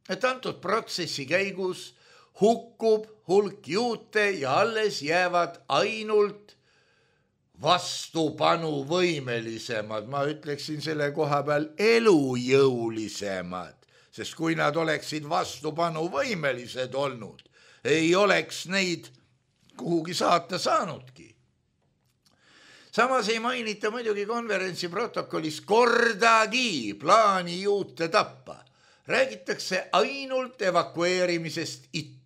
et antud protsessi käigus hukkub hulk juute ja alles jäävad ainult vastupanuvõimelisemad, ma ütleksin selle koha peal elujõulisemad, sest kui nad oleksid vastupanuvõimelised olnud, ei oleks neid kuhugi saata saanudki. Samas ei mainita muidugi konverentsi protokollis kordagi plaani juute tappa. Räägitakse ainult evakueerimisest itta.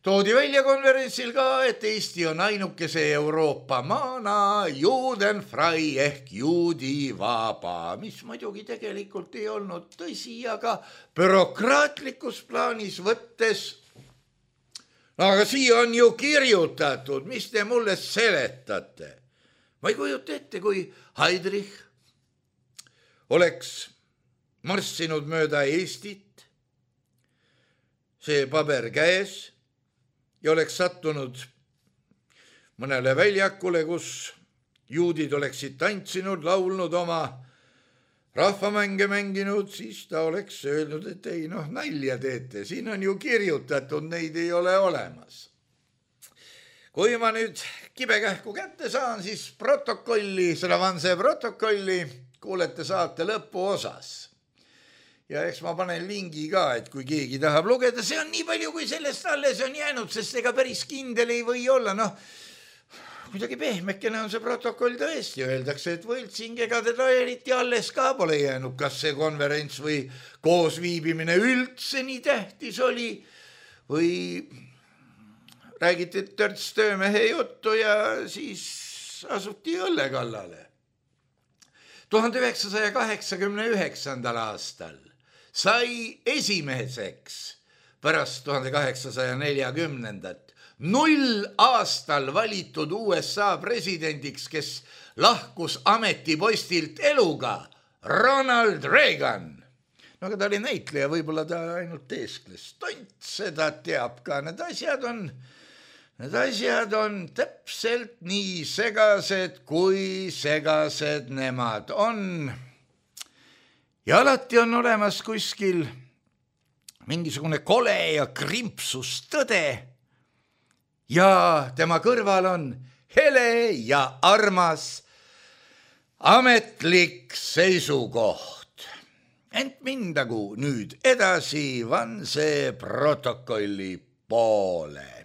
Toodi välja konverentsil ka, et Eesti on ainukese Euroopa maana juudenfrei ehk juudivaba, mis muidugi tegelikult ei olnud tõsi, aga bürokraatlikus plaanis võttes, aga siia on ju kirjutatud, mis te mulle seletate. Ma ei kujuta ette, kui Heydrich oleks marssinud mööda Eestit, see paber käes, ja oleks sattunud mõnele väljakule, kus juudid oleksid tantsinud, laulnud oma rahvamänge mänginud, siis ta oleks öelnud, et ei, nalja teete, siin on ju kirjutatud, neid ei ole olemas. Kui ma nüüd kibekähku kätte saan, siis protokolli, seda Wannsee protokolli kuulete saate lõpuosas. Ja eks ma panen lingi ka, et kui keegi tahab lugeda, see on nii palju, kui sellest alles on jäänud, sest ega päris kindel ei või olla. Kuidagi pehmekene on see protokoll tõesti, öeldakse, et võltsingega teda eriti alles ka pole jäänud, kas see konverents või koosviibimine üldse nii tähtis oli või räägiti törts töömehe juttu ja siis asuti õlle kallale. 1989. aastal sai esimeseks pärast 1840. 0 aastal valitud USA presidendiks, kes lahkus ametipostilt eluga, Ronald Reagan. No aga ta oli näitleja, võib-olla ta ainult teeskles. Tont seda teab ka, need asjad on täpselt nii segased, kui segased nemad on. Ja alati on olemas kuskil mingisugune kole ja krimpsus tõde ja tema kõrval on hele ja armas ametlik seisukoht. Ent mindagu nüüd edasi Vanse protokolli poole.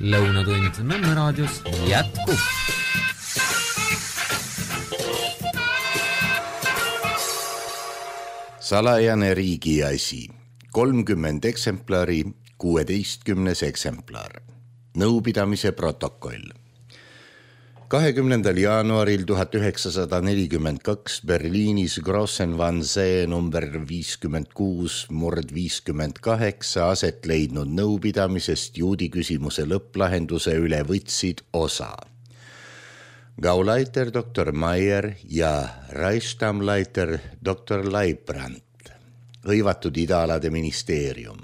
Lõunatund Nõmme raadios jätkub. Salajane riigi asi. 30 eksemplari, 16. eksemplar. Nõupidamise protokoll. 20. jaanuaril 1942 Berliinis Grossen-Vanzee number 56/58 aset leidnud nõupidamisest juudi küsimuse lõpplahenduse üle võtsid osa Gauleiter Dr. Meier ja Reichsstammleiter Dr. Leibrand, hõivatud idaalade ministeerium,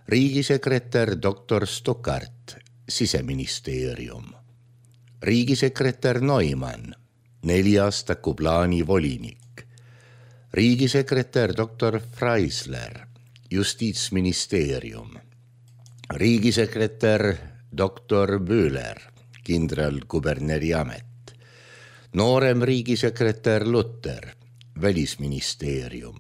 riigisekretär Dr. Stuckart, siseministeerium, riigisekretär Neumann, 4-aastaku plaani volinik, riigisekretär Dr. Freisler, justiitsministeerium, riigisekretär Dr. Böhler, kindralkuberneri amet, noorem riigisekretär Lutter, välisministeerium,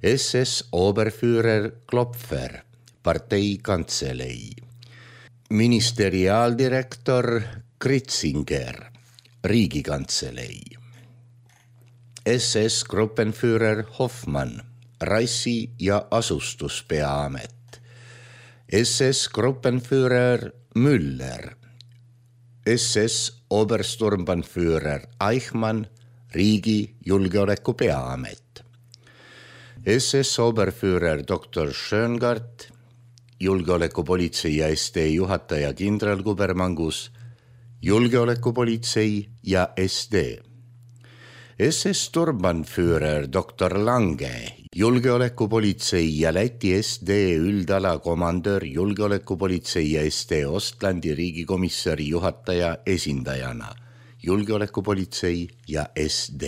SS Oberführer Klopfer, parteikantselei, ministeriaaldirektor Kritzinger, riigikantselei, SS Gruppenführer Hoffmann, rassi- ja asustuspeaamet, SS Gruppenführer Müller, SS Obersturmbannführer Eichmann, riigi julgeoleku peaamet, SS Oberführer Dr. Schöngart, julgeolekupolitsei ja SD juhataja kindral Kubermangus, julgeolekupolitsei ja SD, SS Sturmbannführer Dr. Lange, julgeolekupolitsei ja Läti SD üldala komandör julgeolekupolitsei ja SD Ostlandi riigikomissari juhataja esindajana, julgeolekupolitsei ja SD.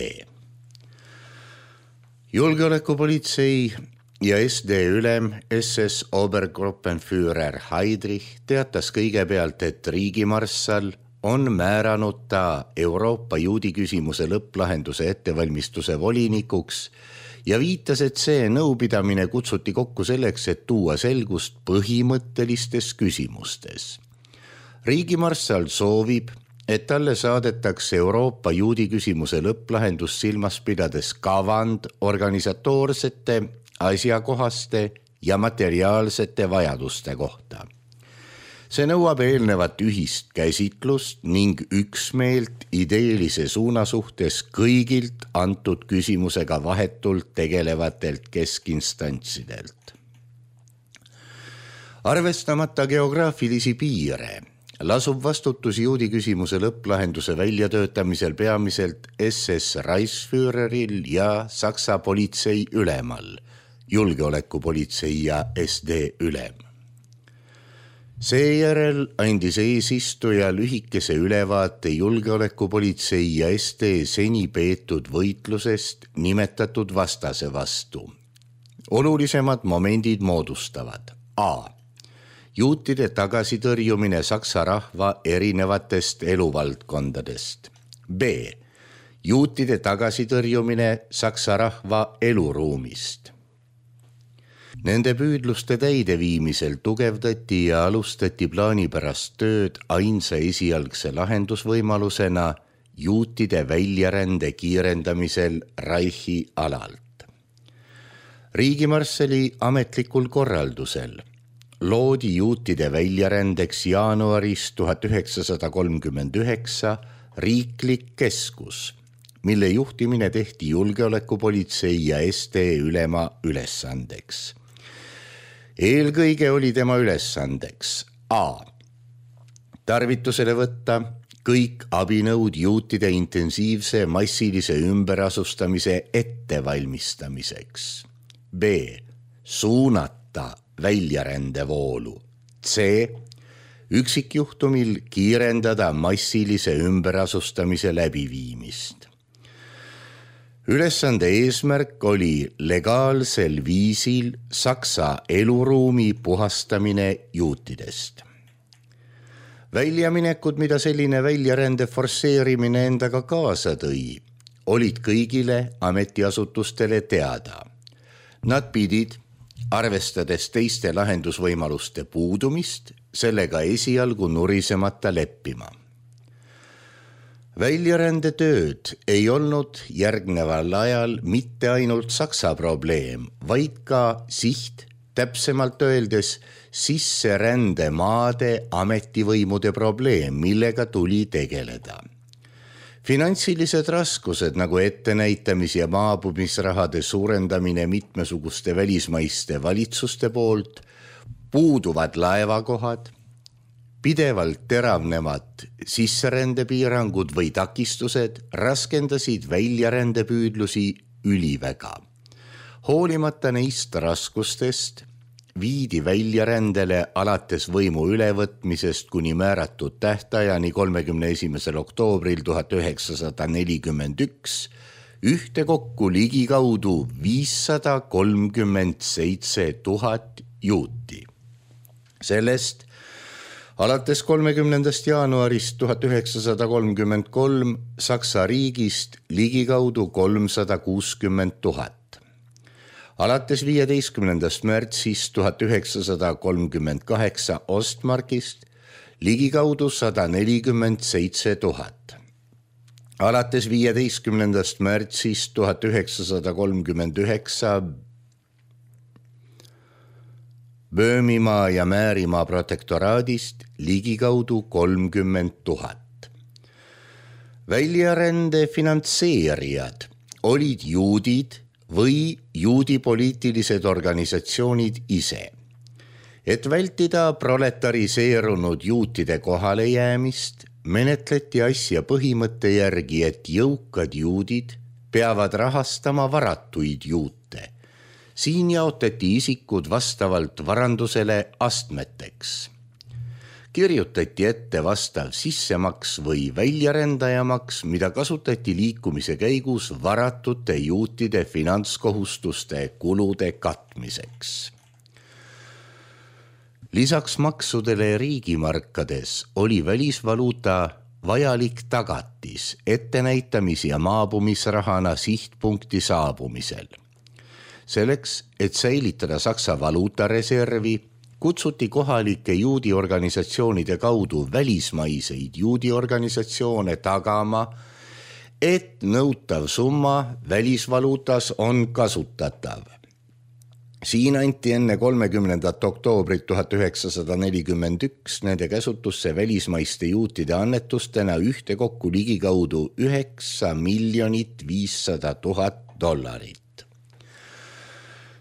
Julgeolekupolitsei ja SD ülem SS Obergruppenführer Heydrich teatas kõigepealt, et riigimarssal on määranud ta Euroopa juudi küsimuse lõpplahenduse ettevalmistuse volinikuks ja viitas, et see nõupidamine kutsuti kokku selleks, et tuua selgust põhimõttelistes küsimustes. Riigimarssal soovib, et talle saadetakse Euroopa juudi küsimuse lõpplahendus silmas pidades kavand organisatoorsete, asjakohaste ja materiaalsete vajaduste kohta. See nõuab eelnevat ühist käsitlust ning üksmeelt ideelise suuna suhtes kõigilt antud küsimusega vahetult tegelevatelt keskistantsidelt. Arvestamata geograafilisi piire lasub vastutus juudi küsimuse lõpplahenduse väljatöötamisel peamiselt SS Reichsführeril ja Saksa politsei ülemal, julgeolekupolitsei ja SD ülem. Seejärel andis eesistuja lühikese ülevaate julgeolekupolitsei ja SD seni peetud võitlusest nimetatud vastase vastu. Olulisemad momendid moodustavad A. Juutide tagasitõrjumine saksa rahva erinevatest eluvaldkondadest. B. Juutide tagasitõrjumine saksa rahva eluruumist. Nende püüdluste täideviimisel tugevdati ja alustati plaanipärast tööd ainsa esialgse lahendusvõimalusena juutide väljarände kiirendamisel Reichi alalt. Riigimarssali ametlikul korraldusel loodi juutide väljarändeks jaanuaris 1939 riiklik keskus, mille juhtimine tehti julgeolekupolitsei ja SD ülema ülesandeks. Eelkõige oli tema ülesandeks A. Tarvitusele võtta kõik abinõud juutide intensiivse massilise ümberasustamise ettevalmistamiseks. B. Suunata väljarändevoolu. C. Üksikjuhtumil kiirendada massilise ümberasustamise läbiviimist. Ülesande eesmärk oli legaalsel viisil Saksa eluruumi puhastamine juutidest. Väljaminekud, mida selline väljarände forsseerimine endaga kaasa tõi, olid kõigile ametiasutustele teada. Nad pidid, arvestades teiste lahendusvõimaluste puudumist, sellega esialgu nurisemata leppima. Väljarändetööd ei olnud järgneval ajal mitte ainult Saksa probleem, vaid ka siht, täpsemalt öeldes sisserändemaade ametivõimude probleem, millega tuli tegeleda. Finantsilised raskused nagu ettenäitamis- ja maabumisrahade suurendamine mitmesuguste välismaiste valitsuste poolt, puuduvad laevakohad, pidevalt teravnevad sisserändepiirangud või takistused raskendasid väljarändepüüdlusi üliväga. Hoolimata neist raskustest viidi väljarändele alates võimu ülevõtmisest kuni määratud tähtajani 31. oktoobril 1941 ühtekokku ligikaudu 537 000 juuti. Sellest alates 30. jaanuarist 1933 Saksa riigist ligikaudu 360 000. Alates 15. märtsist 1938 Ostmarkist ligikaudu 147 000. Alates 15. märtsist 1939 Böömimaa ja Määrimaa protektoraadist ligikaudu 30 000. Väljarände finantseerijad olid juudid või juudi poliitilised organisatsioonid ise. Et vältida proletariseerunud juutide kohalejäämist, menetleti asja põhimõtte järgi, et jõukad juudid peavad rahastama varatuid juute. Siin jaotati isikud vastavalt varandusele astmeteks. Kirjutati ette vastav sissemaks või väljarändajamaks, mida kasutati liikumise käigus varatute juutide finantskohustuste kulude katmiseks. Lisaks maksudele riigimarkades oli välisvaluuta vajalik tagatis ettenäitamis- ja maabumisrahana sihtpunkti saabumisel. Selleks, et säilitada Saksa valuutareservi, kutsuti kohalike juudi organisatsioonide kaudu välismaiseid juudi organisatsioone tagama, et nõutav summa välisvaluutas on kasutatav. Siin anti enne 30. oktoobrit 1941 nende käsutusse välismaiste juutide annetustena ühtekokku ligikaudu 9 500 000 $.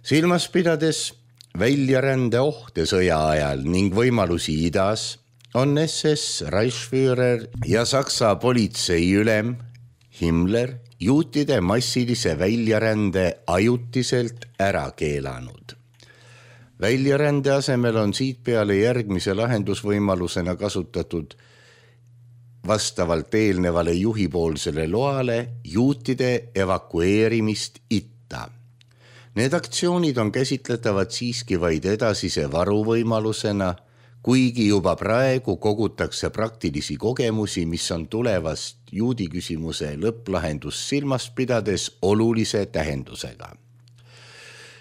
Silmas pidades väljarände ohte sõja ajal ning võimalusi idas, on SS Reichsführer ja Saksa politseiülem Himmler juutide massilise väljarände ajutiselt ära keelanud. Väljarände asemel on siit peale järgmise lahendusvõimalusena kasutatud vastavalt eelnevale juhipoolsele loale juutide evakueerimist itta. Need aktsioonid on käsitletavad siiski vaid edasise varuvõimalusena, kuigi juba praegu kogutakse praktilisi kogemusi, mis on tulevast juudi küsimuse lõpplahendust silmas pidades olulise tähendusega.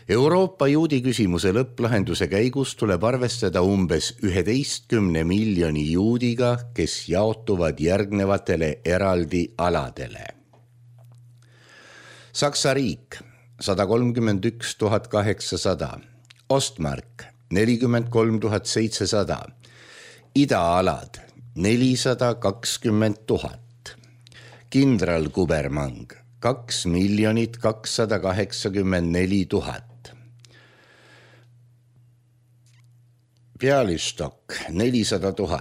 Euroopa juudi küsimuse lõpplahenduse käigus tuleb arvestada umbes 11 miljoni juudiga, kes jaotuvad järgnevatele eraldi aladele. Saksa riik 131 800, Ostmark 43 700, idaalad 420 000, kindralkubermang 2 284 000, Pealistok 400 000,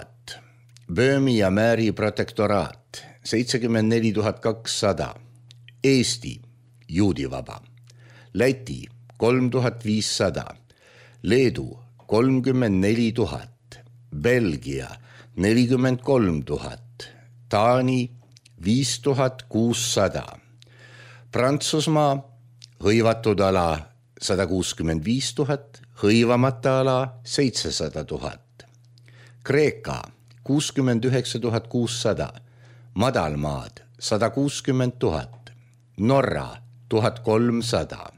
Böömi ja Määri protektoraat 74 200, Eesti juudivaba, Läti 3500, Leedu 34 000, Belgia 43 000, Taani 5600, Prantsusmaa hõivatud ala 165 000, hõivamata ala 700 000, Kreeka 69 600, Madalmaad 160 000, Norra 1300,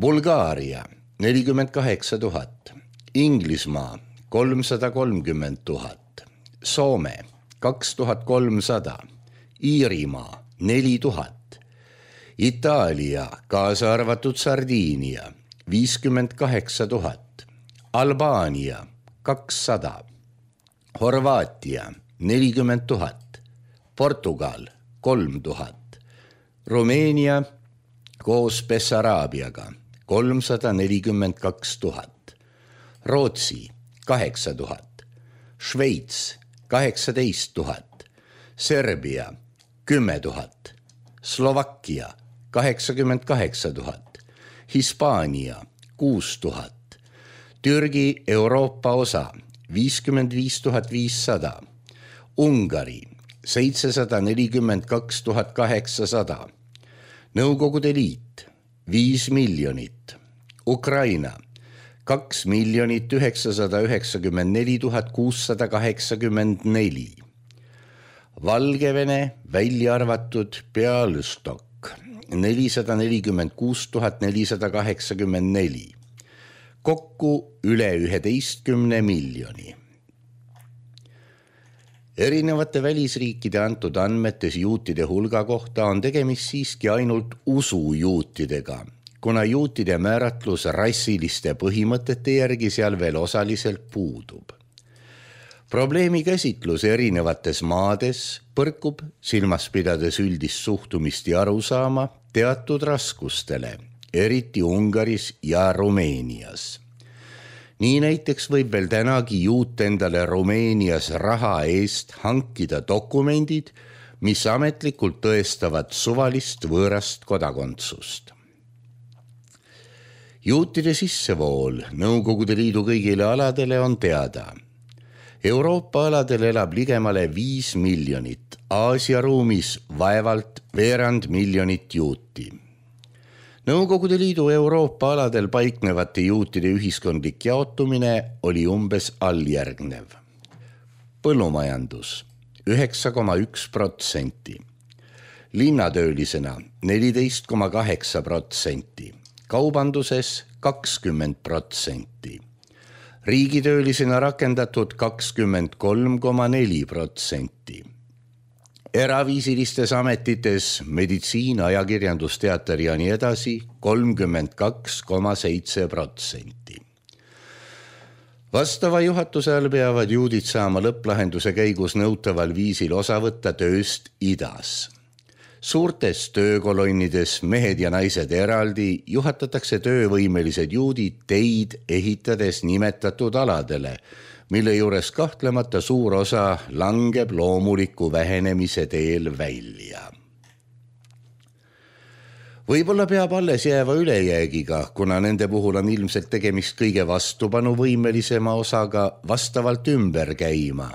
Bulgaaria 48 000, Inglismaa 330 000, Soome 2300, Iirimaa 4000, Itaalia kaasa arvatud Sardiinia 58 000, Albaania 200, Horvaatia 40 000, Portugal 3000, Rumeenia koos Bessaraabiaga 342 000, Rootsi 8000, Šveits 18 000, Serbia 10 000, Slovakkia 88 000, Hispaania 6 000, Türgi Euroopa osa 55 500, Ungari 742 800, Nõukogude Liit 5 miljonit, Ukraina 2 994 684, Valgevene välja arvatud Pealystok 446 484, kokku üle 11 miljoni. Erinevate välisriikide antud andmetes juutide hulga kohta on tegemist siiski ainult usujuutidega, kuna juutide määratlus rassiliste põhimõtete järgi seal veel osaliselt puudub. Probleemi käsitlus erinevates maades põrkub, silmas pidades üldist suhtumist ja arusaama, teatud raskustele, eriti Ungaris ja Rumeenias. Nii näiteks võib veel tänagi juut endale Rumeenias raha eest hankida dokumendid, mis ametlikult tõestavad suvalist võõrast kodakondsust. Juutide sissevool Nõukogude Liidu kõigile aladele on teada. Euroopa aladel elab ligemale 5 miljonit, Aasia ruumis vaevalt veerand miljonit juuti. Nõukogude Liidu Euroopa aladel paiknevate juutide ühiskondlik jaotumine oli umbes alljärgnev. Põllumajandus 9,1%, linnatöölisena 14,8%, kaubanduses 20%, riigitöölisena rakendatud 23,4%. Eraviisilistes ametites, meditsiin, ajakirjandus, teater ja nii edasi 32,7%. Vastava juhatuse all peavad juudid saama lõpplahenduse käigus nõutaval viisil osa võtta tööst idas. Suurtes töökolonnides mehed ja naised eraldi juhatatakse töövõimelised juudid teid ehitades nimetatud aladele, mille juures kahtlemata suur osa langeb loomuliku vähenemise teel välja. Võib-olla peab alles jääva ülejäägiga, kuna nende puhul on ilmselt tegemist kõige vastupanuvõimelisema osaga vastavalt ümber käima,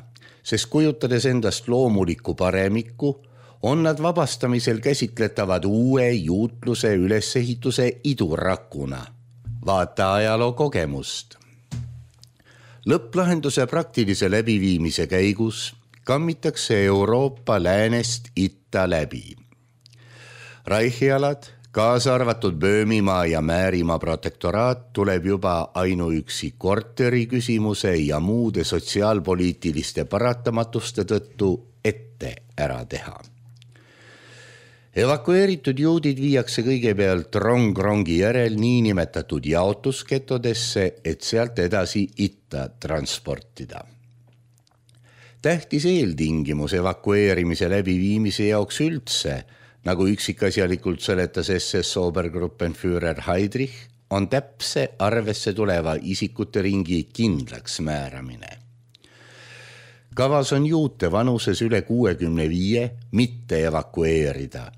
sest kujutades endast loomulikku paremikku, on nad vabastamisel käsitletavad uue juutluse ülesehituse idurakuna. Vaata ajaloo kogemust. Lõpplahenduse praktilise läbiviimise käigus kammitakse Euroopa läänest itta läbi. Reichialad, kaasa arvatud Böömimaa ja Määrimaa protektoraat tuleb juba ainuüksi korteri küsimuse ja muude sotsiaalpoliitiliste paratamatuste tõttu ette ära teha. Evakueeritud juudid viiakse kõigepealt rong-rongi järel niinimetatud jaotusketodesse, et sealt edasi itta transportida. Tähtis eeltingimus evakueerimise läbiviimise jaoks üldse, nagu üksikasjalikult seletas SS Obergruppenführer Heydrich, on täpse arvesse tuleva isikute ringi kindlaks määramine. Kavas on juute vanuses üle 65 mitte evakueerida,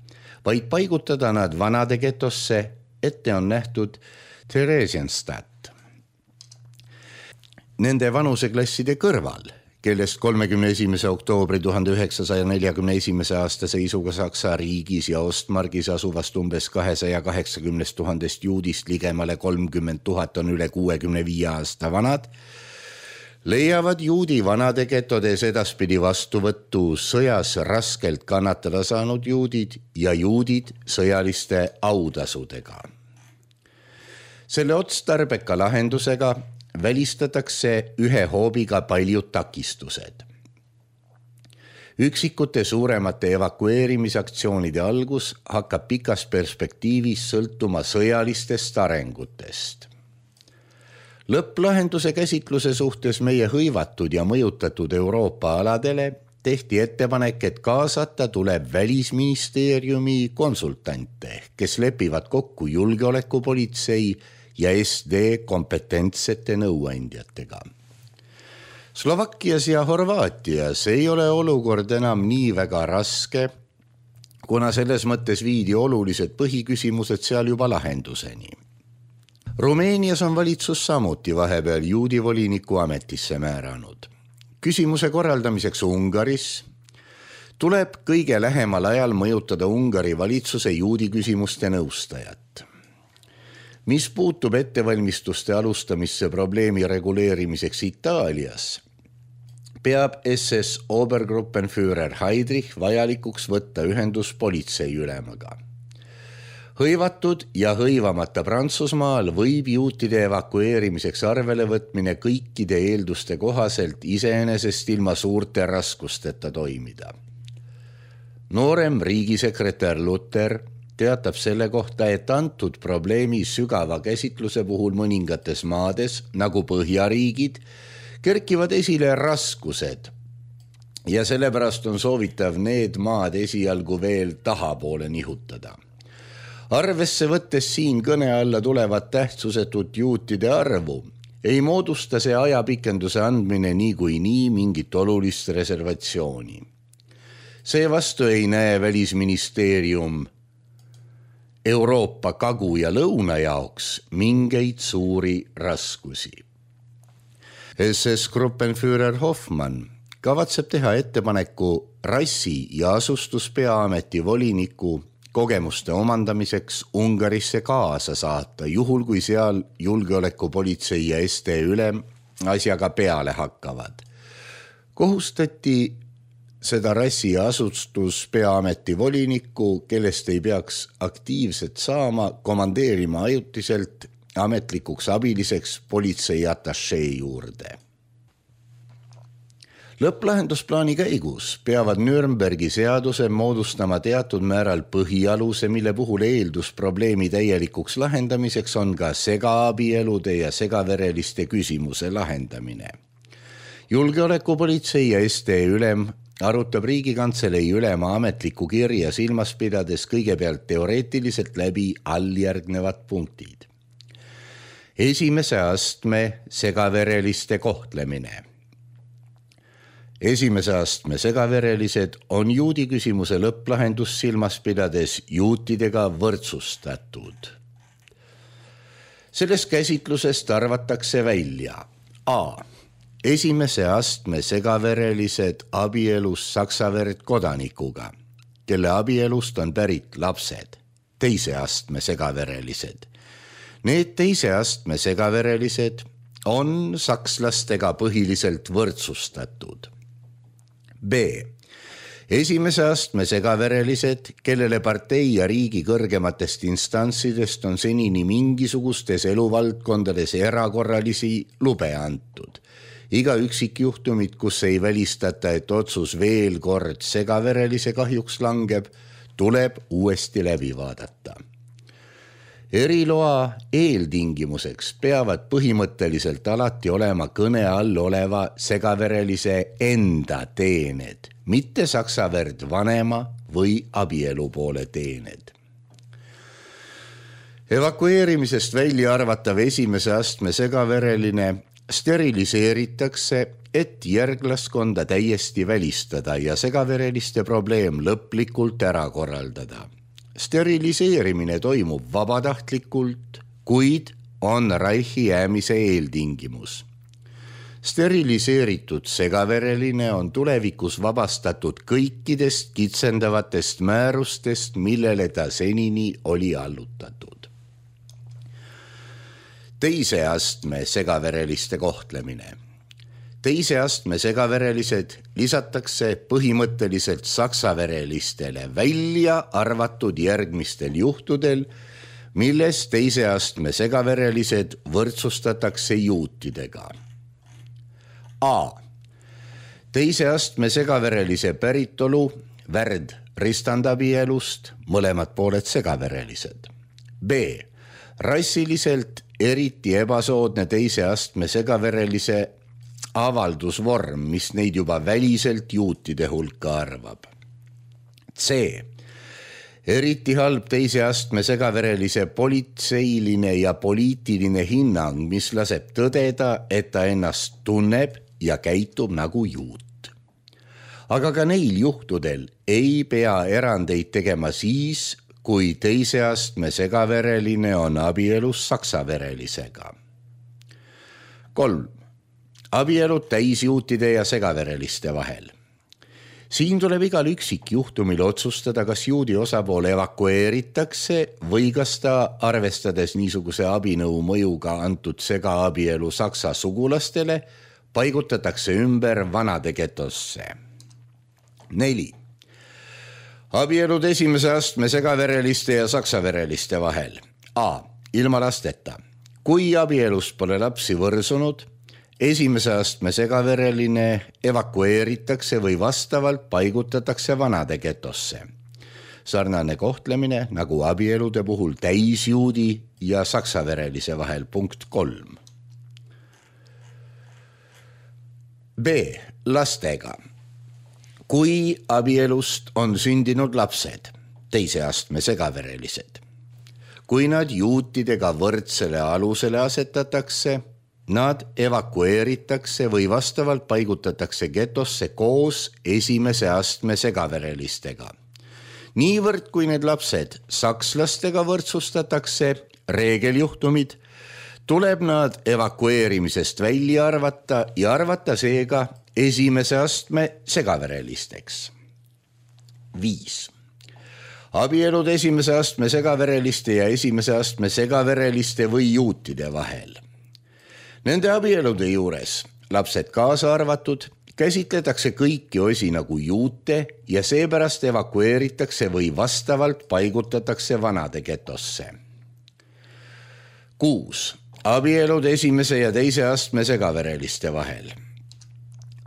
vaid paigutada nad vanade getosse, ette on nähtud Theresienstadt. Nende vanuseklasside kõrval, kellest 31. oktoobri 1941. aasta seisuga Saksa riigis ja Ostmargis asuvast umbes 280 000 juudist ligemale 30 000 on üle 65 aasta vanad, leiavad juudi vanade getodes edaspidi vastuvõttu sõjas raskelt kannatada saanud juudid ja juudid sõjaliste autasudega. Selle otstarbeka lahendusega välistatakse ühe hoobiga paljud takistused. Üksikute suuremate evakueerimisaktsioonide algus hakkab pikas perspektiivis sõltuma sõjalistest arengutest. Lõpplahenduse käsitluse suhtes meie hõivatud ja mõjutatud Euroopa aladele tehti ettepanek, et kaasata tuleb Välisministeeriumi konsultante, kes lepivad kokku julgeolekupolitsei ja SD kompetentsete nõuandjatega. Slovakkias ja Horvaatias ei ole olukord enam nii väga raske, kuna selles mõttes viidi olulised põhiküsimused seal juba lahenduseni. Rumeenias on valitsus samuti vahepeal juudi voliniku ametisse määranud. Küsimuse korraldamiseks Ungaris tuleb kõige lähemal ajal mõjutada Ungari valitsuse juudi küsimuste nõustajat. Mis puutub ettevalmistuste alustamisse probleemi reguleerimiseks Itaalias, peab SS Obergruppenführer Heydrich vajalikuks võtta ühendus politseiülemaga. Hõivatud ja hõivamata Prantsusmaal võib juutide evakueerimiseks arvele võtmine kõikide eelduste kohaselt iseenesest ilma suurte raskusteta toimida. Noorem riigisekretär Luther teatab selle kohta, et antud probleemi sügava käsitluse puhul mõningates maades, nagu Põhjariigid, kerkivad esile raskused ja sellepärast on soovitav need maad esialgu veel tahapoole nihutada. Arvesse võttes siin kõne alla tulevat tähtsusetut juutide arvu, ei moodusta see ajapikenduse andmine niikuinii mingit olulist reservatsiooni. Seevastu ei näe välisministeerium Euroopa kagu ja lõuna jaoks mingeid suuri raskusi. SS-Gruppenführer Hoffmann kavatseb teha ettepaneku rassi- ja asustuspeaameti voliniku kogemuste omandamiseks Ungarisse kaasa saata, juhul kui seal julgeolekupolitsei ja ST ülem asjaga peale hakkavad. Kohustati seda rassi- ja asustuspeaameti volinikku, kellest ei peaks aktiivset saama, komandeerima ajutiselt ametlikuks abiliseks politsei atašee juurde. Lõpplahendusplaani käigus peavad Nürnbergi seaduse moodustama teatud määral põhialuse, mille puhul eeldus probleemi täielikuks lahendamiseks on ka segaabielude ja segavereliste küsimuse lahendamine. Julgeolekupolitsei ja ST ülem arutab Riigikantselei ülema ametlikku kirja silmas pidades kõigepealt teoreetiliselt läbi alljärgnevad punktid. Esimese astme segavereliste kohtlemine. Esimese astme segaverelised on juudi küsimuse lõpplahendus silmas pidades juutidega võrdsustatud. Sellest käsitlusest arvatakse välja A. Esimese astme segaverelised abielus saksaverd kodanikuga, kelle abielust on pärit lapsed, teise astme segaverelised. Need teise astme segaverelised on sakslastega põhiliselt võrdsustatud. B. Esimese astme segaverelised, kellele partei ja riigi kõrgematest instantsidest on senini mingisugustes eluvaldkondades erakorralisi lube antud. Iga üksikjuhtumit, kus ei välistata, et otsus veel kord segaverelise kahjuks langeb, tuleb uuesti läbi vaadata. Eriloa eeltingimuseks peavad põhimõtteliselt alati olema kõne all oleva segaverelise enda teened, mitte saksaverd vanema või abielupoole teened. Evakueerimisest välja arvatav esimese astme segavereline steriliseeritakse, et järglaskonda täiesti välistada ja segavereliste probleem lõplikult ära korraldada. Steriliseerimine toimub vabatahtlikult, kuid on Reichi jäämise eeltingimus. Steriliseeritud segavereline on tulevikus vabastatud kõikidest kitsendavatest määrustest, millele ta senini oli allutatud. Teise astme segavereliste kohtlemine. Teise astme segaverelised lisatakse põhimõtteliselt saksaverelistele välja arvatud järgmistel juhtudel, milles teise astme segaverelised võrdsustatakse juutidega. A. Teise astme segaverelise päritolu värd ristandabielust, mõlemad pooled segaverelised. B. Rassiliselt eriti ebasoodne teise astme segaverelise avaldusvorm, mis neid juba väliselt juutide hulka arvab. C. Eriti halb teise astme segaverelise politseiline ja poliitiline hinnang, mis laseb tõdeda, et ta ennast tunneb ja käitub nagu juut. Aga ka neil juhtudel ei pea erandeid tegema siis, kui teise astme segavereline on abielus saksaverelisega. 3. Abielud täisjuutide ja segavereliste vahel. Siin tuleb igal üksikjuhtumil otsustada, kas juudi osapool evakueeritakse või kas ta, arvestades niisuguse abinõu mõjuga antud segaabielu saksa sugulastele, paigutatakse ümber vanade getosse. 4. Abielud esimese astme segavereliste ja saksavereliste vahel. A. Ilma lasteta. Kui abielust pole lapsi võrsunud, esimese astme segavereline evakueeritakse või vastavalt paigutatakse vanade getosse. Sarnane kohtlemine nagu abielude puhul täisjuudi ja saksaverelise vahel. Punkt 3. B. Lastega. Kui abielust on sündinud lapsed, teise astme segaverelised, kui nad juutidega võrdsele alusele asetatakse, nad evakueeritakse või vastavalt paigutatakse getosse koos esimese astme segaverelistega. Niivõrd, kui need lapsed sakslastega võrdsustatakse, reegeljuhtumid, tuleb nad evakueerimisest välja arvata ja arvata seega esimese astme segaverelisteks. 5. Abielud esimese astme segavereliste ja esimese astme segavereliste või juutide vahel. Nende abielude juures, lapsed kaasa arvatud, käsitletakse kõiki osi nagu juute ja seepärast evakueeritakse või vastavalt paigutatakse vanade getosse. 6. Abielud esimese ja teise astme segavereliste vahel.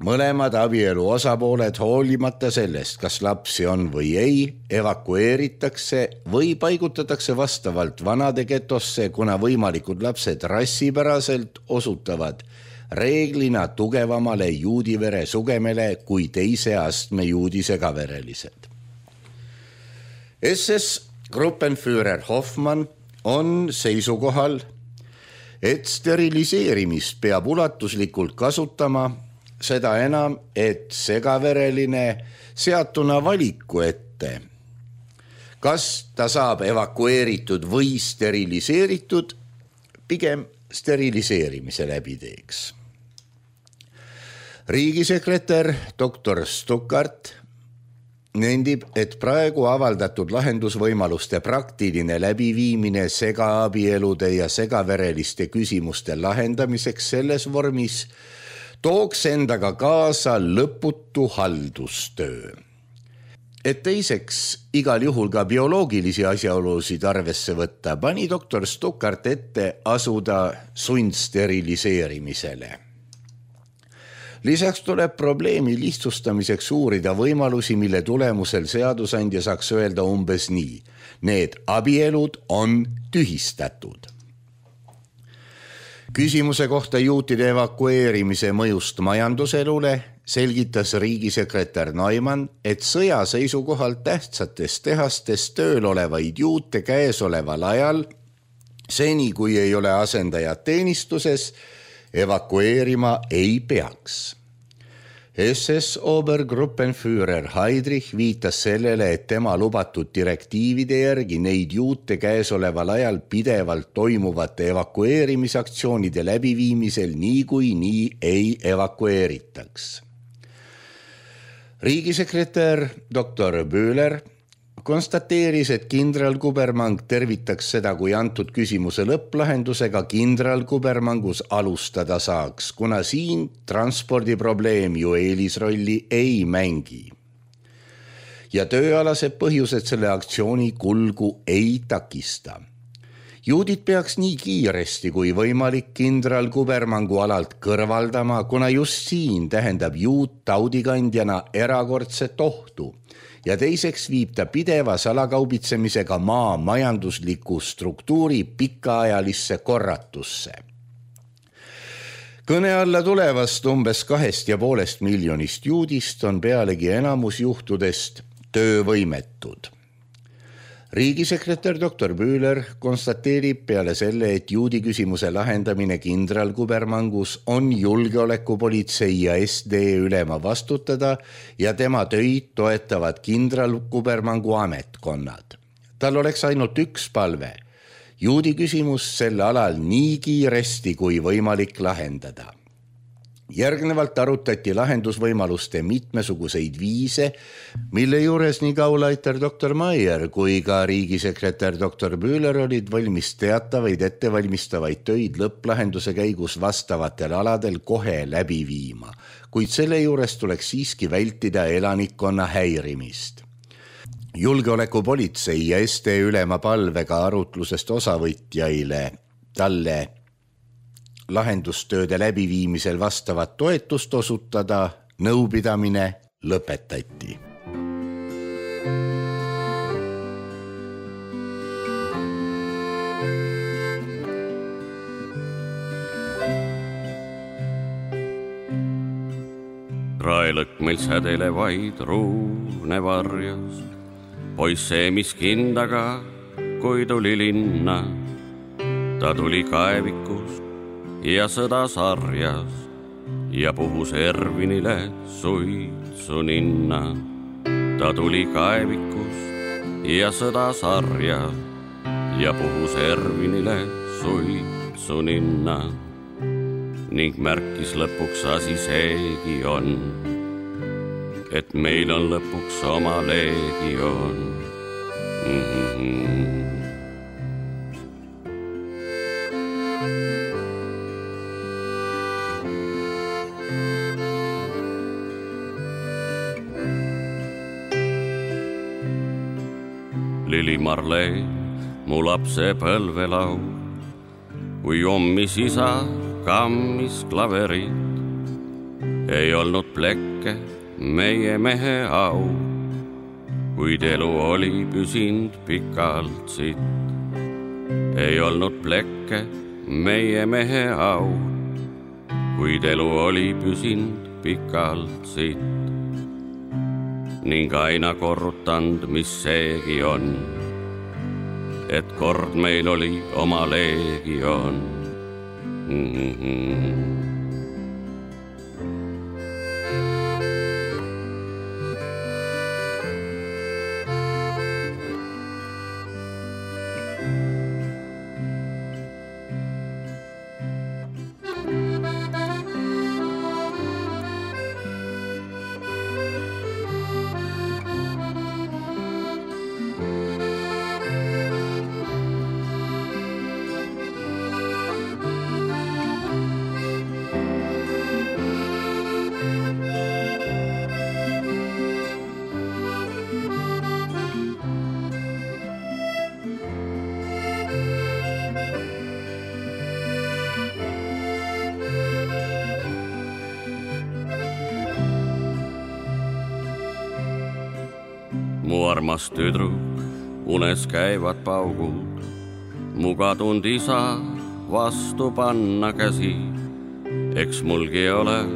Mõlemad abielu osapooled hoolimata sellest, kas lapsi on või ei, evakueeritakse või paigutatakse vastavalt vanade getosse, kuna võimalikud lapsed rassipäraselt osutavad reeglina tugevamale juudivere sugemele kui teise astme juudi segaverelised. SS Gruppenführer Hoffmann on seisukohal, et steriliseerimist peab ulatuslikult kasutama, seda enam, et segavereline seatuna valiku ette, kas ta saab evakueeritud või steriliseeritud, pigem steriliseerimise läbi teeks. Riigisekretär Dr. Stuckart nendib, et praegu avaldatud lahendusvõimaluste praktiline läbiviimine segaabielude ja segavereliste küsimuste lahendamiseks selles vormis tooks endaga kaasa lõputu haldustöö. Et teiseks igal juhul ka bioloogilisi asjaolusid arvesse võtta, pani doktor Stuckart ette asuda sundsteriliseerimisele. Lisaks tuleb probleemi lihtsustamiseks uurida võimalusi, mille tulemusel seadusandja saaks öelda umbes nii. Need abielud on tühistatud. Küsimuse kohta juutide evakueerimise mõjust majanduselule selgitas riigisekretär Neumann, et sõja seisukohalt tähtsates tehastes tööl olevaid juute käesoleval ajal, seni kui ei ole asendajad teenistuses, evakueerima ei peaks. SS Obergruppenführer Heydrich viitas sellele, et tema lubatud direktiivide järgi neid juute käesoleval ajal pidevalt toimuvate evakueerimisaktsioonide läbiviimisel nii ei evakueeritaks. Riigisekretär Dr. Böhler konstateeris, et kindral Kubermang tervitaks seda, kui antud küsimuse lõpplahendusega kindral Kubermangus alustada saaks, kuna siin transpordiprobleem ju eelisrolli ei mängi. Ja tööalased põhjused selle aktsiooni kulgu ei takista. Juudid peaks nii kiiresti kui võimalik kindral Kubermangu alalt kõrvaldama, kuna just siin tähendab juut taudikandjana erakordset ohtu. Ja teiseks viib ta pideva salakaubitsemisega maa majandusliku struktuuri pikaajalisse korratusse. Kõne alla tulevast umbes 2,5 miljonist juudist on pealegi enamus juhtudest töövõimetud. Riigisekretär Dr. Böhler konstateerib peale selle, et juudi küsimuse lahendamine kindral Kubermangus on julgeolekupolitsei ja SD ülema vastutada ja tema töid toetavad kindral Kubermangu ametkonnad. Tal oleks ainult üks palve. Juudi küsimus selle alal nii kiiresti kui võimalik lahendada. Järgnevalt arutati lahendusvõimaluste mitmesuguseid viise, mille juures nii Gauleiter Dr. Maier kui ka riigisekretär Dr. Böhler olid valmis teatavaid ettevalmistavaid töid lõpplahenduse käigus vastavatel aladel kohe läbi viima, kuid selle juures tuleks siiski vältida elanikkonna häirimist. julgeolekupolitsei ja ST ülema palvega arutlusest osavõtjaile talle lahendustööde läbiviimisel vastavat toetust osutada, nõupidamine lõpetati. Raelõkk meil sädele vaid ruune varjas, poiss seemis kindaga, kui tuli linna. Ta tuli kaevikus ja sõda sarjas ja puhus Ervinile suitsu ninna. Ta tuli kaevikus ja sõda sarjas ja puhus Ervinile suitsu ninna. Ning märkis lõpuks asi seegi on, et meil on lõpuks oma leegion. Lili Marleen, mu lapse põlvelau, kui ommis isa kammis klaverit, ei olnud plekke meie mehe au, kuid elu oli püsind pikalt sitt. Ei olnud plekke meie mehe au, kuid elu oli püsind pikalt sitt. Ning aina korrutand, mis seegi on, et kord meil oli oma leegion. Mu armas tüdruk, unes käivad paugud, mu kadunud isa vastu panna käsi. Eks mulgi ole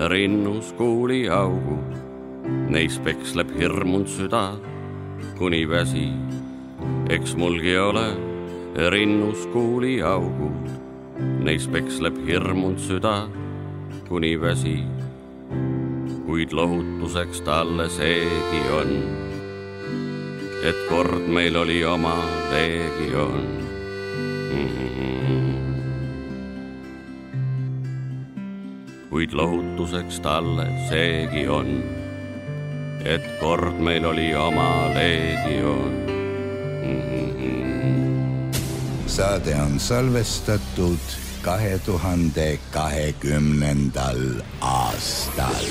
rinnus kuuli augud, neis peksleb hirmund süda kuni väsi. Eks mulgi ole rinnus kuuli augud, neis peksleb hirmund süda kuni väsi. Kuid lohutuseks talle seegi on, et kord meil oli oma leegion. Kuid lohutuseks talle seegi on, et kord meil oli oma leegion. Saade on salvestatud 2020. aastal.